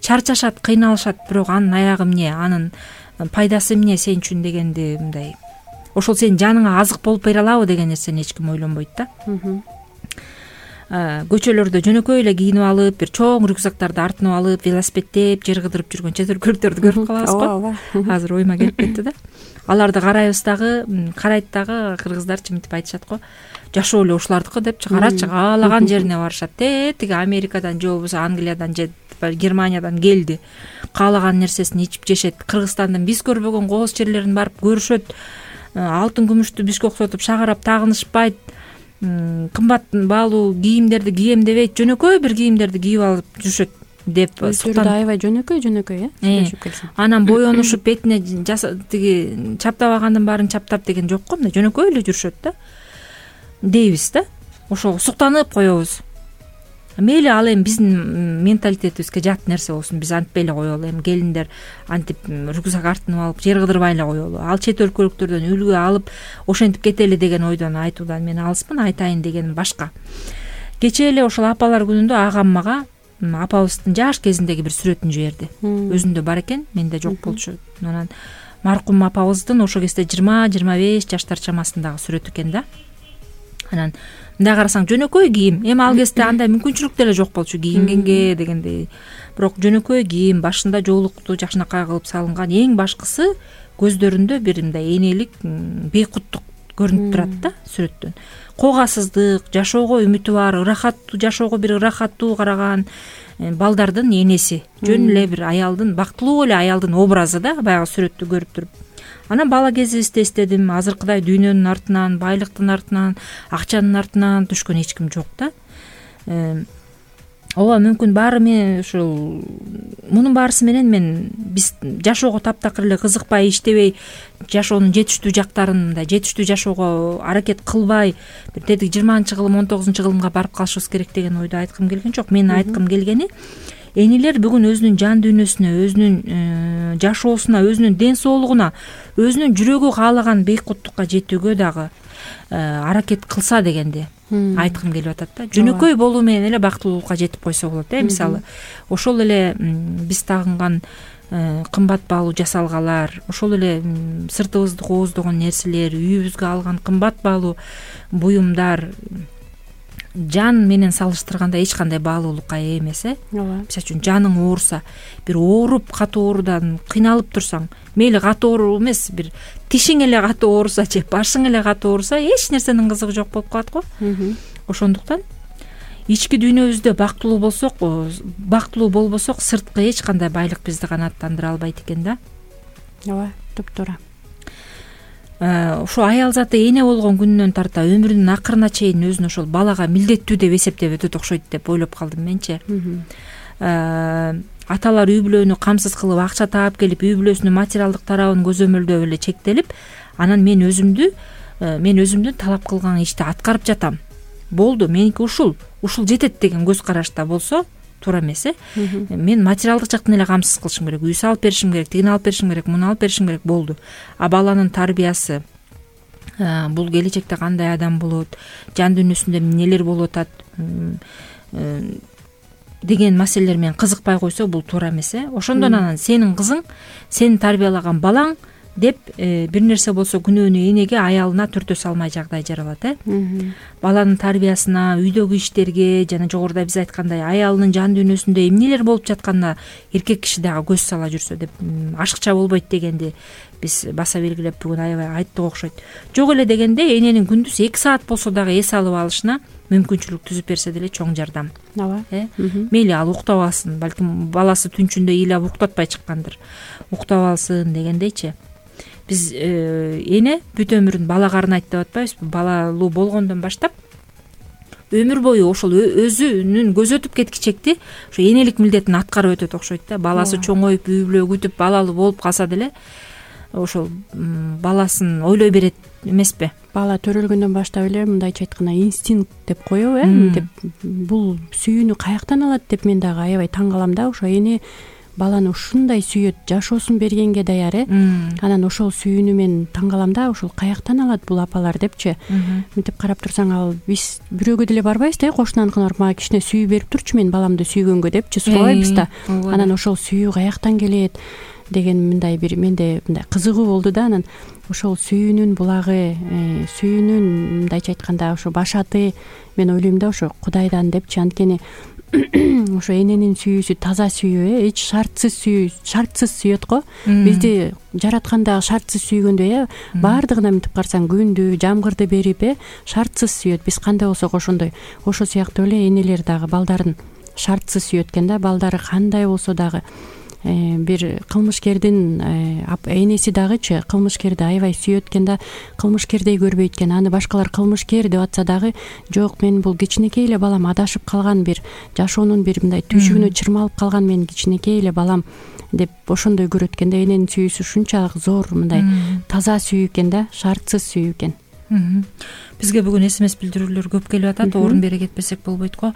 чарчашат, кыйналышат, бирок анын аягы эмне, анын пайдасы эмне сен үчүн дегенди мындай, ошол сенин жаныңа азык болуп бере алабы деген нерсени эч ким ойлонбойт да. Көчөлөрдө жөнөкөй эле кийинип алып, бир чоң рюкзактарды артынып алып, велосипедтеп жер кыдырып жүргөн чет өлкөлүктөрдү көрүп калабыз го. Азыр оюма келип кетти да. Аларды карайбыз дагы, карайт дагы, кыргыздарчы мынтип айтышат го. Жашоо эле ушулардыкы депчи, карачы, каалаган жерине барышат. Те, тиги Америкадан же болбосо Англиядан же Германиядан келди. Каалаган нерсесин ичип жешет. Кыргызстандын биз көрбөгөн кооз жерлерин барып көрүшөт. Алтын күмүштү бизге оксотуп шагарап тагынышпайт. Кымбат баалуу кийимдерди кийем дебейт, жөнөкөй бир кийимдерди кийип алып жүрүшөт деп суктан. Аябай жөнөкөй жөнөкөй, э. Анан боенушуп бетине тиги чаптабагандын баарын чаптап деген жок го, мындай жөнөкөй эле жүрүшөт да. Дейбиз да. Ошого суктанып коебуз. Мейли ал эми биздин менталитетибизге жат нерсе болсун, биз антпай эле коелу. Эми келиндер антип рюкзак артынып алып жер кыдырбай эле коелу. Ал чет өлкөлүктөрдөн үлгү алып ошентип кетели деген ойдон айтуудан мен алыспын, айтайын дегеним башка. Кечээ эле ошол апалар күнүндө агам мага апабыздын жаш кезиндеги бир сүрөтүн жиберди. Өзүндө бар экен, менде жок болчу. Анан маркум апабыздын ошол кезде жыйырма жыйырма беш жаштар чамасындагы сүрөт экен да. Анан мындай карасаң жөнөкөй кийим. Эми ал кезде андай мүмкүнчүлүк деле жок болчу кийингенге дегендей. Бирок жөнөкөй кийим, башында жоолукту жакшынакай кылып салынган, эң башкысы көздөрүндө бир мындай энелик, бейкуттук көрүнүп турат да сүрөттөн. Когасыздык, жашоого үмүтү бар, ырахаттуу жашоого бир ырахаттуу караган балдардын энеси. Жөн эле бир аялдын, бактылуу эле аялдын образы да баягы сүрөттү көрүп туруп. Анан бала кезибизди эстедим, азыркыдай дүйнөнүн артынан, байлыктын артынан, акчанын артынан түшкөн эч ким жок да. ооба мүмкүн баары мен ушул мунун баарысы менен мен биз жашоого таптакыр эле кызыкпай иштебей жашоонун жетиштүү жактарын мындай жетиштүү жашоого аракет кылбай бир тетиги жыйырманчы кылым он тогузунчу кылымга барып калышыбыз керек деген ойду айткым келген жок. Менин айткым келгени энелер бүгүн өзүнүн жан дүйнөсүнө, өзүнүн жашоосуна, өзүнүн ден соолугуна, өзүнүн жүрөгү каалаган бейкуттукка жетүүгө дагы аракет кылса дегенди айткым келип атат да. Жөнөкөй болуу менен эле бактылуулукка жетип койсо болот э. Мисалы ошол эле биз тагынган кымбат баалуу жасалгалар, ошол эле сыртыбызды кооздогон нерселер, үйүбүзгө алган кымбат баалуу буюмдар жан менен салыштырганда эч кандай баалуулукка ээ эмес э. Ооба. Мисалы үчүн жаның ооруса, бир ооруп катуу оорудан кыйналып турсаң, мейли катуу оору эмес, бир тишиң эле катуу ооруса же башың эле катуу ооруса, эч нерсенин кызыгы жок болуп калат го. Ошондуктан ички дүйнөбүздө бактылуу болсок, бактылуу болбосок, сырткы эч кандай байлык бизди канааттандыра албайт экен да. Ооба, туптуура. Ошо аял заты эне болгон күнүнөн тарта өмүрүнүн акырына чейин өзүн ошол балага милдеттүү деп эсептеп өтөт окшойт деп ойлоп калдым менчи. Аталар үй бүлөнү камсыз кылып акча таап келип, үй бүлөсүнүн материалдык тарабын көзөмөлдөп эле чектелип, анан мен өзүмдү мен өзүмдүн талап кылган ишти аткарып жатам. Болду, меники ушул, ушул жетет деген көз карашта болсо туура эмес э. Мен материалдык жактан эле камсыз кылышым керек, үй салып беришим керек, тигини алып беришим керек, муну алып беришим керек, болду. А баланын тарбиясы, бул келечекте кандай адам болот, жан дүйнөсүндө эмнелер болуп атат деген маселелер менен кызыкпай койсо, бул туура эмес э. Ошондон анан сенин кызың, сени тарбиялаган балаң деп бир нерсе болсо күнөөнү энеге, аялына түртө салмай жагдай жаралат э. Баланын тарбиясына, үйдөгү иштерге жана жогоруда биз айткандай аялынын жан дүйнөсүндө эмнелер болуп жатканына эркек киши дагы көз сала жүрсө деп ашыкча болбойт дегенди биз баса белгилеп бүгүн аябай айттык окшойт. Жок эле дегенде эненин күндүз эки саат болсо дагы эс алып алышына мүмкүнчүлүк түзүп берсе деле чоң жардам. Ооба. Э? Мейли ал уктап алсын, балким баласы түнчүндө ыйлап уктатпай чыккандыр. Уктап алсын дегендейчи. Биз эне бүт өмүрүн бала карынайт деп атпайбызбы? Балалуу болгондон баштап өмүр бою ошол өзүнүн көзөтүп кеткичекти ошо энелик милдетин аткарып өтөт окшойт да. Баласы чоңоюп, үй бүлө күтүп, балалуу болуп калса деле ошол баласын ойлой берет эмеспи? Бала төрөлгөндөн баштап эле мындайча айтканда инстинкт деп коебу э. Деп бул сүйүүнү каяктан алат деп мен дагы аябай таң калам да. Ошо эне баланы ушундай сүйөт, жашоосун бергенге даяр э. Анан ошол сүйүүнү мен таң калам да, ошол каяктан алат бул апалар депчи. Мынтип карап турсаң, ал биз бирөөгө деле барбайбыз да, кошунаныкына барып мага кичине сүйүү берип турчу мен баламды сүйгөнгө депчи сурабайбыз да. Анан ошол сүйүү каяктан келет деген мындай бир менде мындай кызыгуу болду да. Анан ошол сүйүүнүн булагы, сүйүүнүн мындайча айтканда ошо башаты мен ойлойм да ошо Кудайдан депчи. Анткени ошо эненин сүйүүсү таза сүйүү э, эч шартсыз сүйүү, шартсыз сүйөт го. Бизди жараткан дагы шартсыз сүйгөндөй э. Баардыгына мынтип карасаң күндү, жамгырды берип э, шартсыз сүйөт. Биз кандай болсок ошондой. Ошо сыяктуу эле энелер дагы балдарын шартсыз сүйөт экен да. Балдары кандай болсо дагы бир кылмышкердин энеси дагычы кылмышкерди аябай сүйөт экен да, кылмышкердей көрбөйт экен. Аны башкалар кылмышкер деп атса дагы, жок, мен бул кичинекей эле балам, адашып калган бир жашоонун бир мындай түйшүгүнө чырмалып калган менин кичинекей эле балам деп ошондой көрөт экен да. Эненин сүйүүсү ушунчалык зор, мындай таза сүйүү экен да, шартсыз сүйүү экен. Бизге бүгүн эс эм эс билдирүүлөр көп келип атат, орун бере кетпесек болбойт го.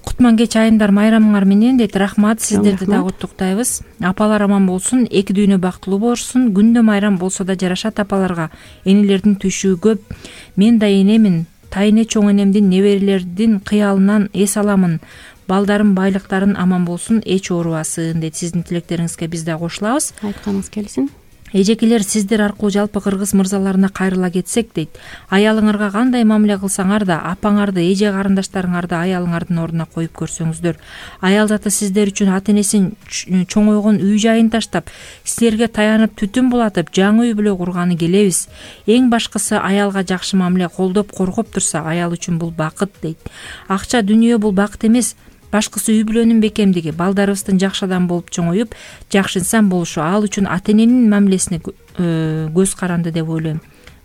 Кутман кеч айымдар майрамыңар менен дейт. Рахмат, сиздерди дагы куттуктайбыз. Апалар аман болсун, эки дүйнө бактылуу болушун. Күндө майрам болсо да жарашат апаларга. Энелердин түйшүгү көп. Мен да энемин, тайыне чоң энемдин неберелердин кыялынан эс аламын. Балдарым байлыктарын аман болсун, эч оорубасын дейт. Сиздин тилектериңизге биз да кошулабыз. Айтканыңыз келсин. Эжекелер, сиздер аркылуу жалпы кыргыз мырзаларына кайрыла кетсек дейт. Аялыңарга кандай мамиле кылсаңар да, апаңарды, эже карындаштарыңарды аялыңардын ордуна коюп көрсөңүздөр. Аял заты сиздер үчүн ата энесин чоңойгон үй жайын таштап, силерге таянып түтүн булатып, жаңы үй бүлө курганы келебиз. Эң башкысы аялга жакшы мамиле колдоп, коргоп турса, аял үчүн бул бакыт дейт. Акча дүнүйө бул бакыт эмес. Башкысы үй бүлөнүн бекемдиги, балдарыбыздын жакшы адам болуп чоңоюп, жакшы инсан болушу, ал үчүн ата эненин мамилесине көз каранды деп ойлойм.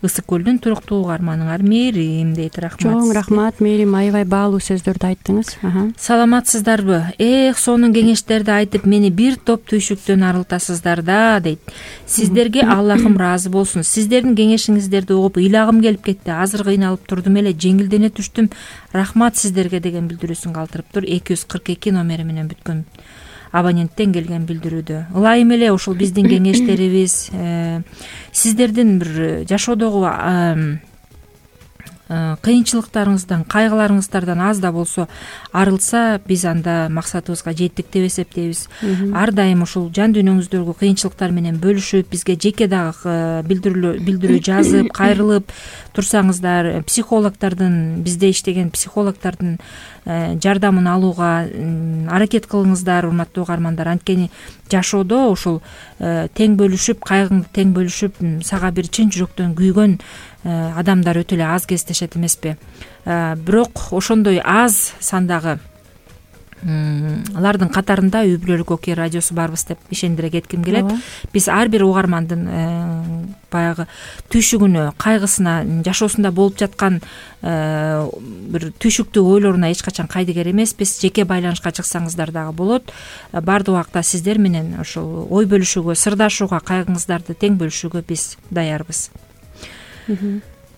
Ысык көлдүн туруктуу угарманыңар Мээрим дейт. Рахмат. Чоң рахмат Мээрим, аябай баалуу сөздөрдү айттыңыз. Саламатсыздарбы? Эх, сонун кеңештерди айтып мени бир топ түйшүктөн арылтасыздар да дейт. Сиздерге Аллахым ыраазы болсун. Сиздердин кеңешиңиздерди угуп ыйлагым келип кетти. Азыр кыйналып турдум эле, жеңилдене түштүм. Рахмат сиздерге деген билдирүүсүн калтырыптыр. эки жүз кырк эки номери менен бүткөн абоненттен келген билдирүүдө. Ылайым эле ушул биздин кеңештерибиз сиздердин бир жашоодогу кыйынчылыктарыңыздан, кайгыларыңыздардан аз да болсо арылса, биз анда максатыбызга жеттик деп эсептейбиз. Ар дайым ушул жан дүйнөңүздөгү кыйынчылыктар менен бөлүшүп, бизге жеке дагы билдирүү жазып, кайрылып турсаңыздар, психологдордун, бизде иштеген психологдордун жардамын алууга аракет кылыңыздар, урматтуу угармандар. Анткени жашоодо ушул тең бөлүшүп, кайгыңды тең бөлүшүп, сага бир чын жүрөктөн күйгөн адамдар өтө эле аз кездешет эмеспи? Бирок ошондой аз сандагы алардын катарында үй бүлөлүк окуя радиосу барбыз деп ишендире кетким келет. Биз ар бир угармандын баягы түйшүгүнө, кайгысына, жашоосунда болуп жаткан бир түйшүктүү ойлоруна эч качан кайдыгер эмеспиз. Жеке байланышка чыксаңыздар дагы болот. Бардык убакта сиздер менен ошол ой бөлүшүүгө, сырдашууга, кайгыңыздарды тең бөлүшүүгө биз даярбыз.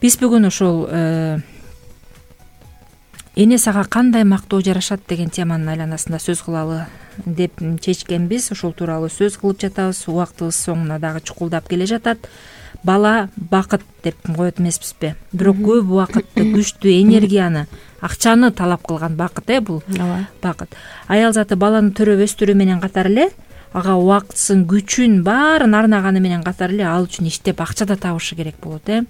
Биз бүгүн ошол эне сага кандай мактоо жарашат деген теманын айланасында сөз кылалы деп чечкенбиз. Ошол тууралуу сөз кылып жатабыз. Убактыбыз соңуна дагы чукулдап келе жатат. Бала бакыт деп коет эмеспизби? Бирок көп убакытты, күчтү, энергияны, акчаны талап кылган бакыт э бул бакыт. Аял заты баланы төрөп өстүрүү менен катар эле ага убактысын, күчүн баарын арнаганы менен катар эле ал үчүн иштеп акча да табышы керек болот э.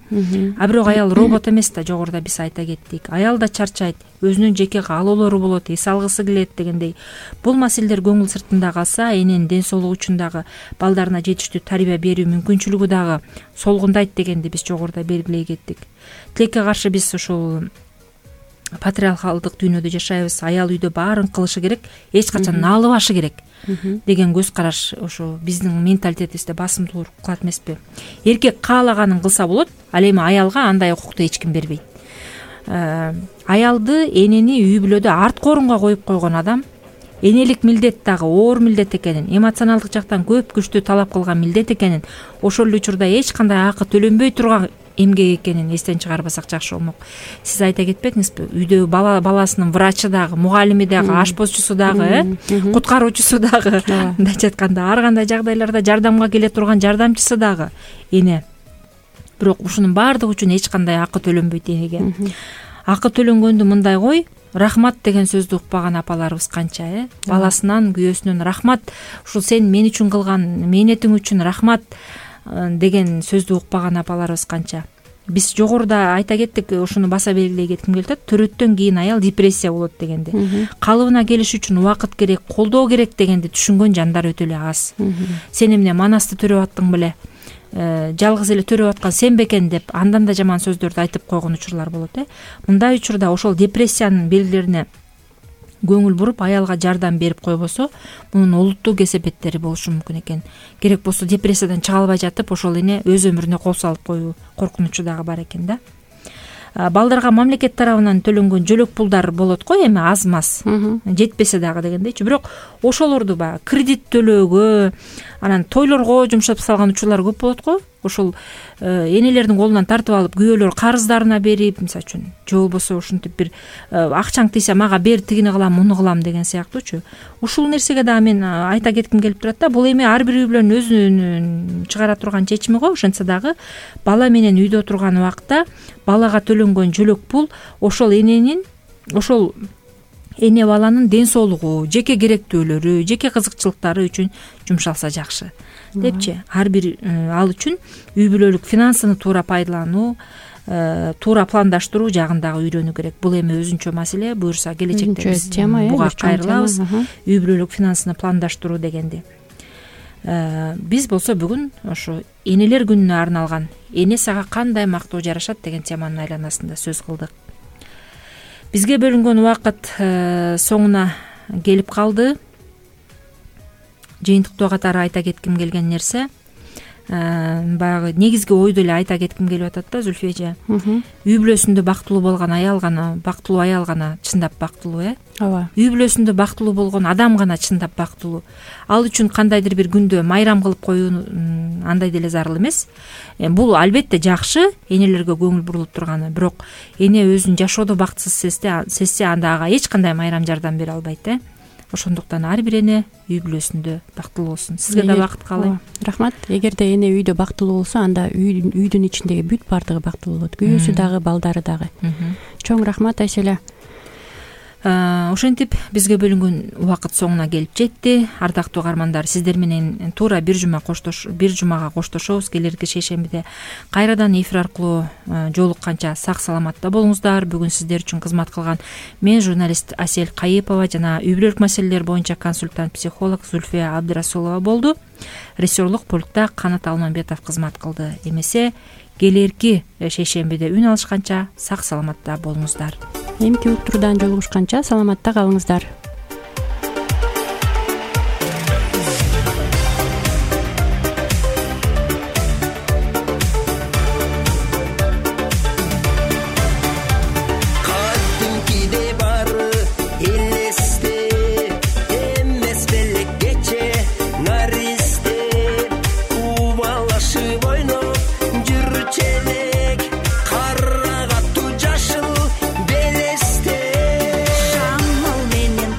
А бирок аял робот эмес да, жогоруда биз айта кеттик. Аял да чарчайт, өзүнүн жеке каалоолору болот, эс алгысы келет дегендей. Бул маселелер көңүл сыртында калса, эненин ден соолугу үчүн дагы балдарына жетиштүү тарбия берүү мүмкүнчүлүгү дагы солгундайт дегенди биз жогоруда белгилей кеттик. Тилекке каршы биз ушул патриархалдык дүйнөдө жашайбыз. Аял үйдө баарын кылышы керек, эч качан налыбашы керек деген көз караш ошо биздин менталитетибизде басымдуулук кылат эмеспи? Эркек каалаганын кылса болот, ал эми аялга андай укукту эч ким бербейт. Аялды, энени үй бүлөдө арткы орунга коюп койгон адам энелик милдет дагы оор милдет экенин, эмоционалдык жактан көп күчтү талап кылган милдет экенин, ошол эле учурда эч кандай акы төлөнбөй турган эмгек экенин эстен чыгарбасак жакшы болмок. Сиз айта кетпедиңизби? Үйдө бала баласынын врачы дагы, мугалими дагы, ашпозчусу дагы, э, куткаруучусу дагы, мындайча айтканда ар кандай жагдайларда жардамга келе турган жардамчысы дагы эне. Бирок ушунун баардыгы үчүн эч кандай акы төлөнбөйт энеге. Акы төлөнгөндү мындай кой, рахмат деген сөздү укпаган апаларыбыз канча, э? Баласынан, күйөөсүнөн рахмат, ушул сен мен үчүн кылган мээнетиң үчүн рахмат деген сөздү укпаган апаларыбыз канча. Биз жогоруда айта кеттик, ушуну баса белгилей кетким келет. Төрөттөн кийин аял депрессия болот дегенди. Калыбына келиш үчүн убакыт керек, колдоо керек дегенди түшүнгөн жандар өтө эле аз. Сен эмне манасты төрөп аттың беле? Жалгыз эле төрөп аткан сен бекен деп андан да жаман сөздөрдү айтып койгон учурлар болот, э. Мындай учурда ошол депрессиянын белгилерине көңүл буруп, аялга жардам берип койбосо, мунун олуттуу кесепеттери болушу мүмкүн экен. Керек болсо депрессиядан чыга албай жатып, ошол эне өз өмүрүнө кол салып коюу коркунучу дагы бар экен да. Балдарга мамлекет тарабынан төлөнгөн жөлөк пулдар болот го, эми аз-маз, жетпесе дагы дегендейчи. Бирок ошолорду баягы кредит төлөөгө, анан тойлорго жумшап салган учурлар көп болот го. Ошол энелердин колунан тартып алып, күйөөлөр карыздарына берип, мисалы үчүн, же болбосо ушинтип бир акчаң тийсе мага бер, тигини кылам, муну кылам деген сыяктуучу. Ушул нерсеге дагы мен айта кетким келип турат да. Бул эми ар бир үй бүлөнүн өзүнүн чыгара турган чечими го. Ошентсе дагы бала менен үйдө турган убакта балага төлөнгөн жөлөк пул ошол эненин, ошол эне баланын ден соолугу, жеке керектөөлөрү, жеке кызыкчылыктары үчүн жумшалса жакшы депчи. Ар бир ал үчүн үй бүлөлүк финансыны туура пайдалануу, туура пландаштыруу жагындагы үйрөнүү керек. Бул эми өзүнчө маселе, буюрса келечекте биз буга кайрылабыз. Үй бүлөлүк финансыны пландаштыруу дегенди. Биз болсо бүгүн ошо энелер күнүнө арналган эне сага кандай мактоо жарашат деген теманын айланасында сөз кылдык. Бизге бөлүнгөн убакыт соңуна келип калды. Жыйынтыктоо катары айта кетким келген нерсе, баягы негизги ойду эле айта кетким келип атат да, Зүлфия эже. Үй бүлөсүндө бактылуу болгон аял гана, бактылуу аял гана чындап бактылуу, э? Ооба. Үй бүлөсүндө бактылуу болгон адам гана чындап бактылуу. Ал үчүн кандайдыр бир күндө майрам кылып коюу андай деле зарыл эмес. Бул албетте жакшы, энелерге көңүл бурулуп турганы, бирок эне өзүн жашоодо бактысыз сезсе, анда ага эч кандай майрам жардам бере албайт, э? Ошондуктан ар бир эне үй бүлөсүндө бактылуу болсун. Сизге да бакыт каалайм. Рахмат. Эгерде эне үйдө бактылуу болсо, анда үйдүн ичиндеги бүт баардыгы бактылуу болот. Күйөөсү дагы, балдары дагы. Чоң рахмат Айселе. Ошентип бизге бөлүнгөн убакыт соңуна келип жетти. Ардактуу угармандар, сиздер менен туура бир жума коштош бир жумага коштошобуз. Келерки шейшембиде кайрадан эфир аркылуу жолукканча сак саламатта болуңуздар. Бүгүн сиздер үчүн кызмат кылган мен журналист Асель Кайыпова жана үй бүлөлүк маселелер боюнча консультант психолог Зүлфия Абдырасулова болду. Режиссерлук пультта Канат Алмамбетов кызмат кылды. Эмесе келерки шейшембиде үн алышканча сак саламатта болуңуздар. Эмки уктуруудан жолугушканча саламатта калыңыздар. Шамал менен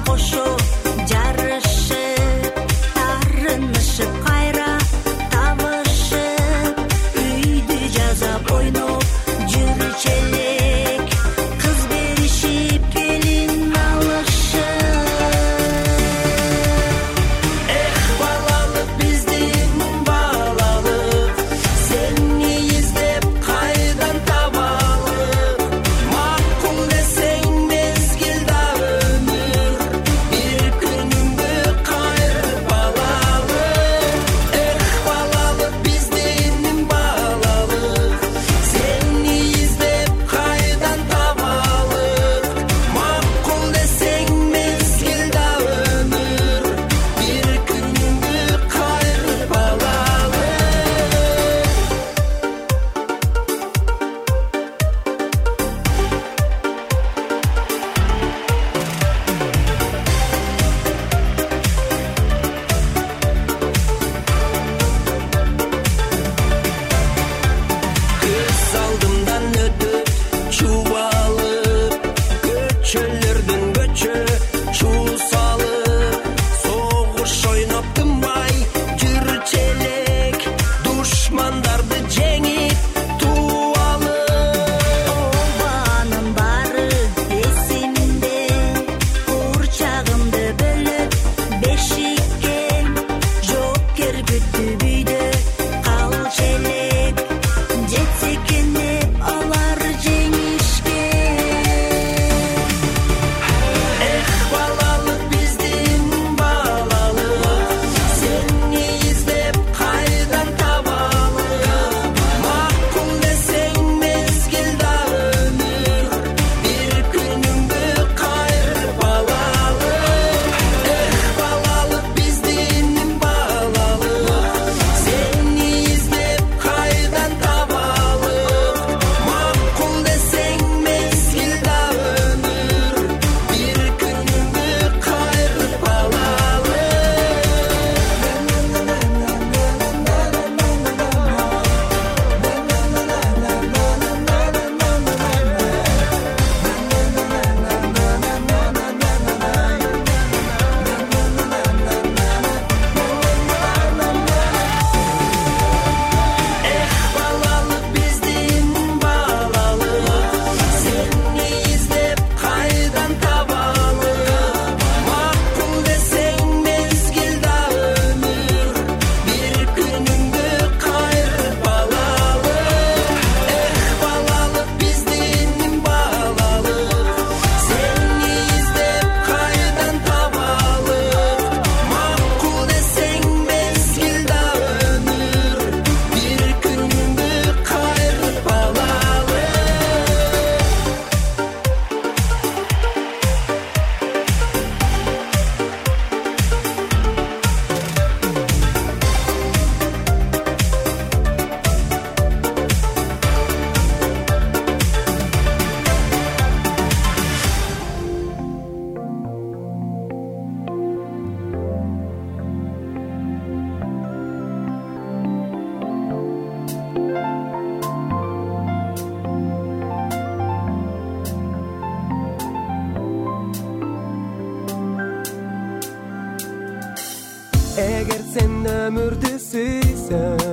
сен өмүрдү сүйсөң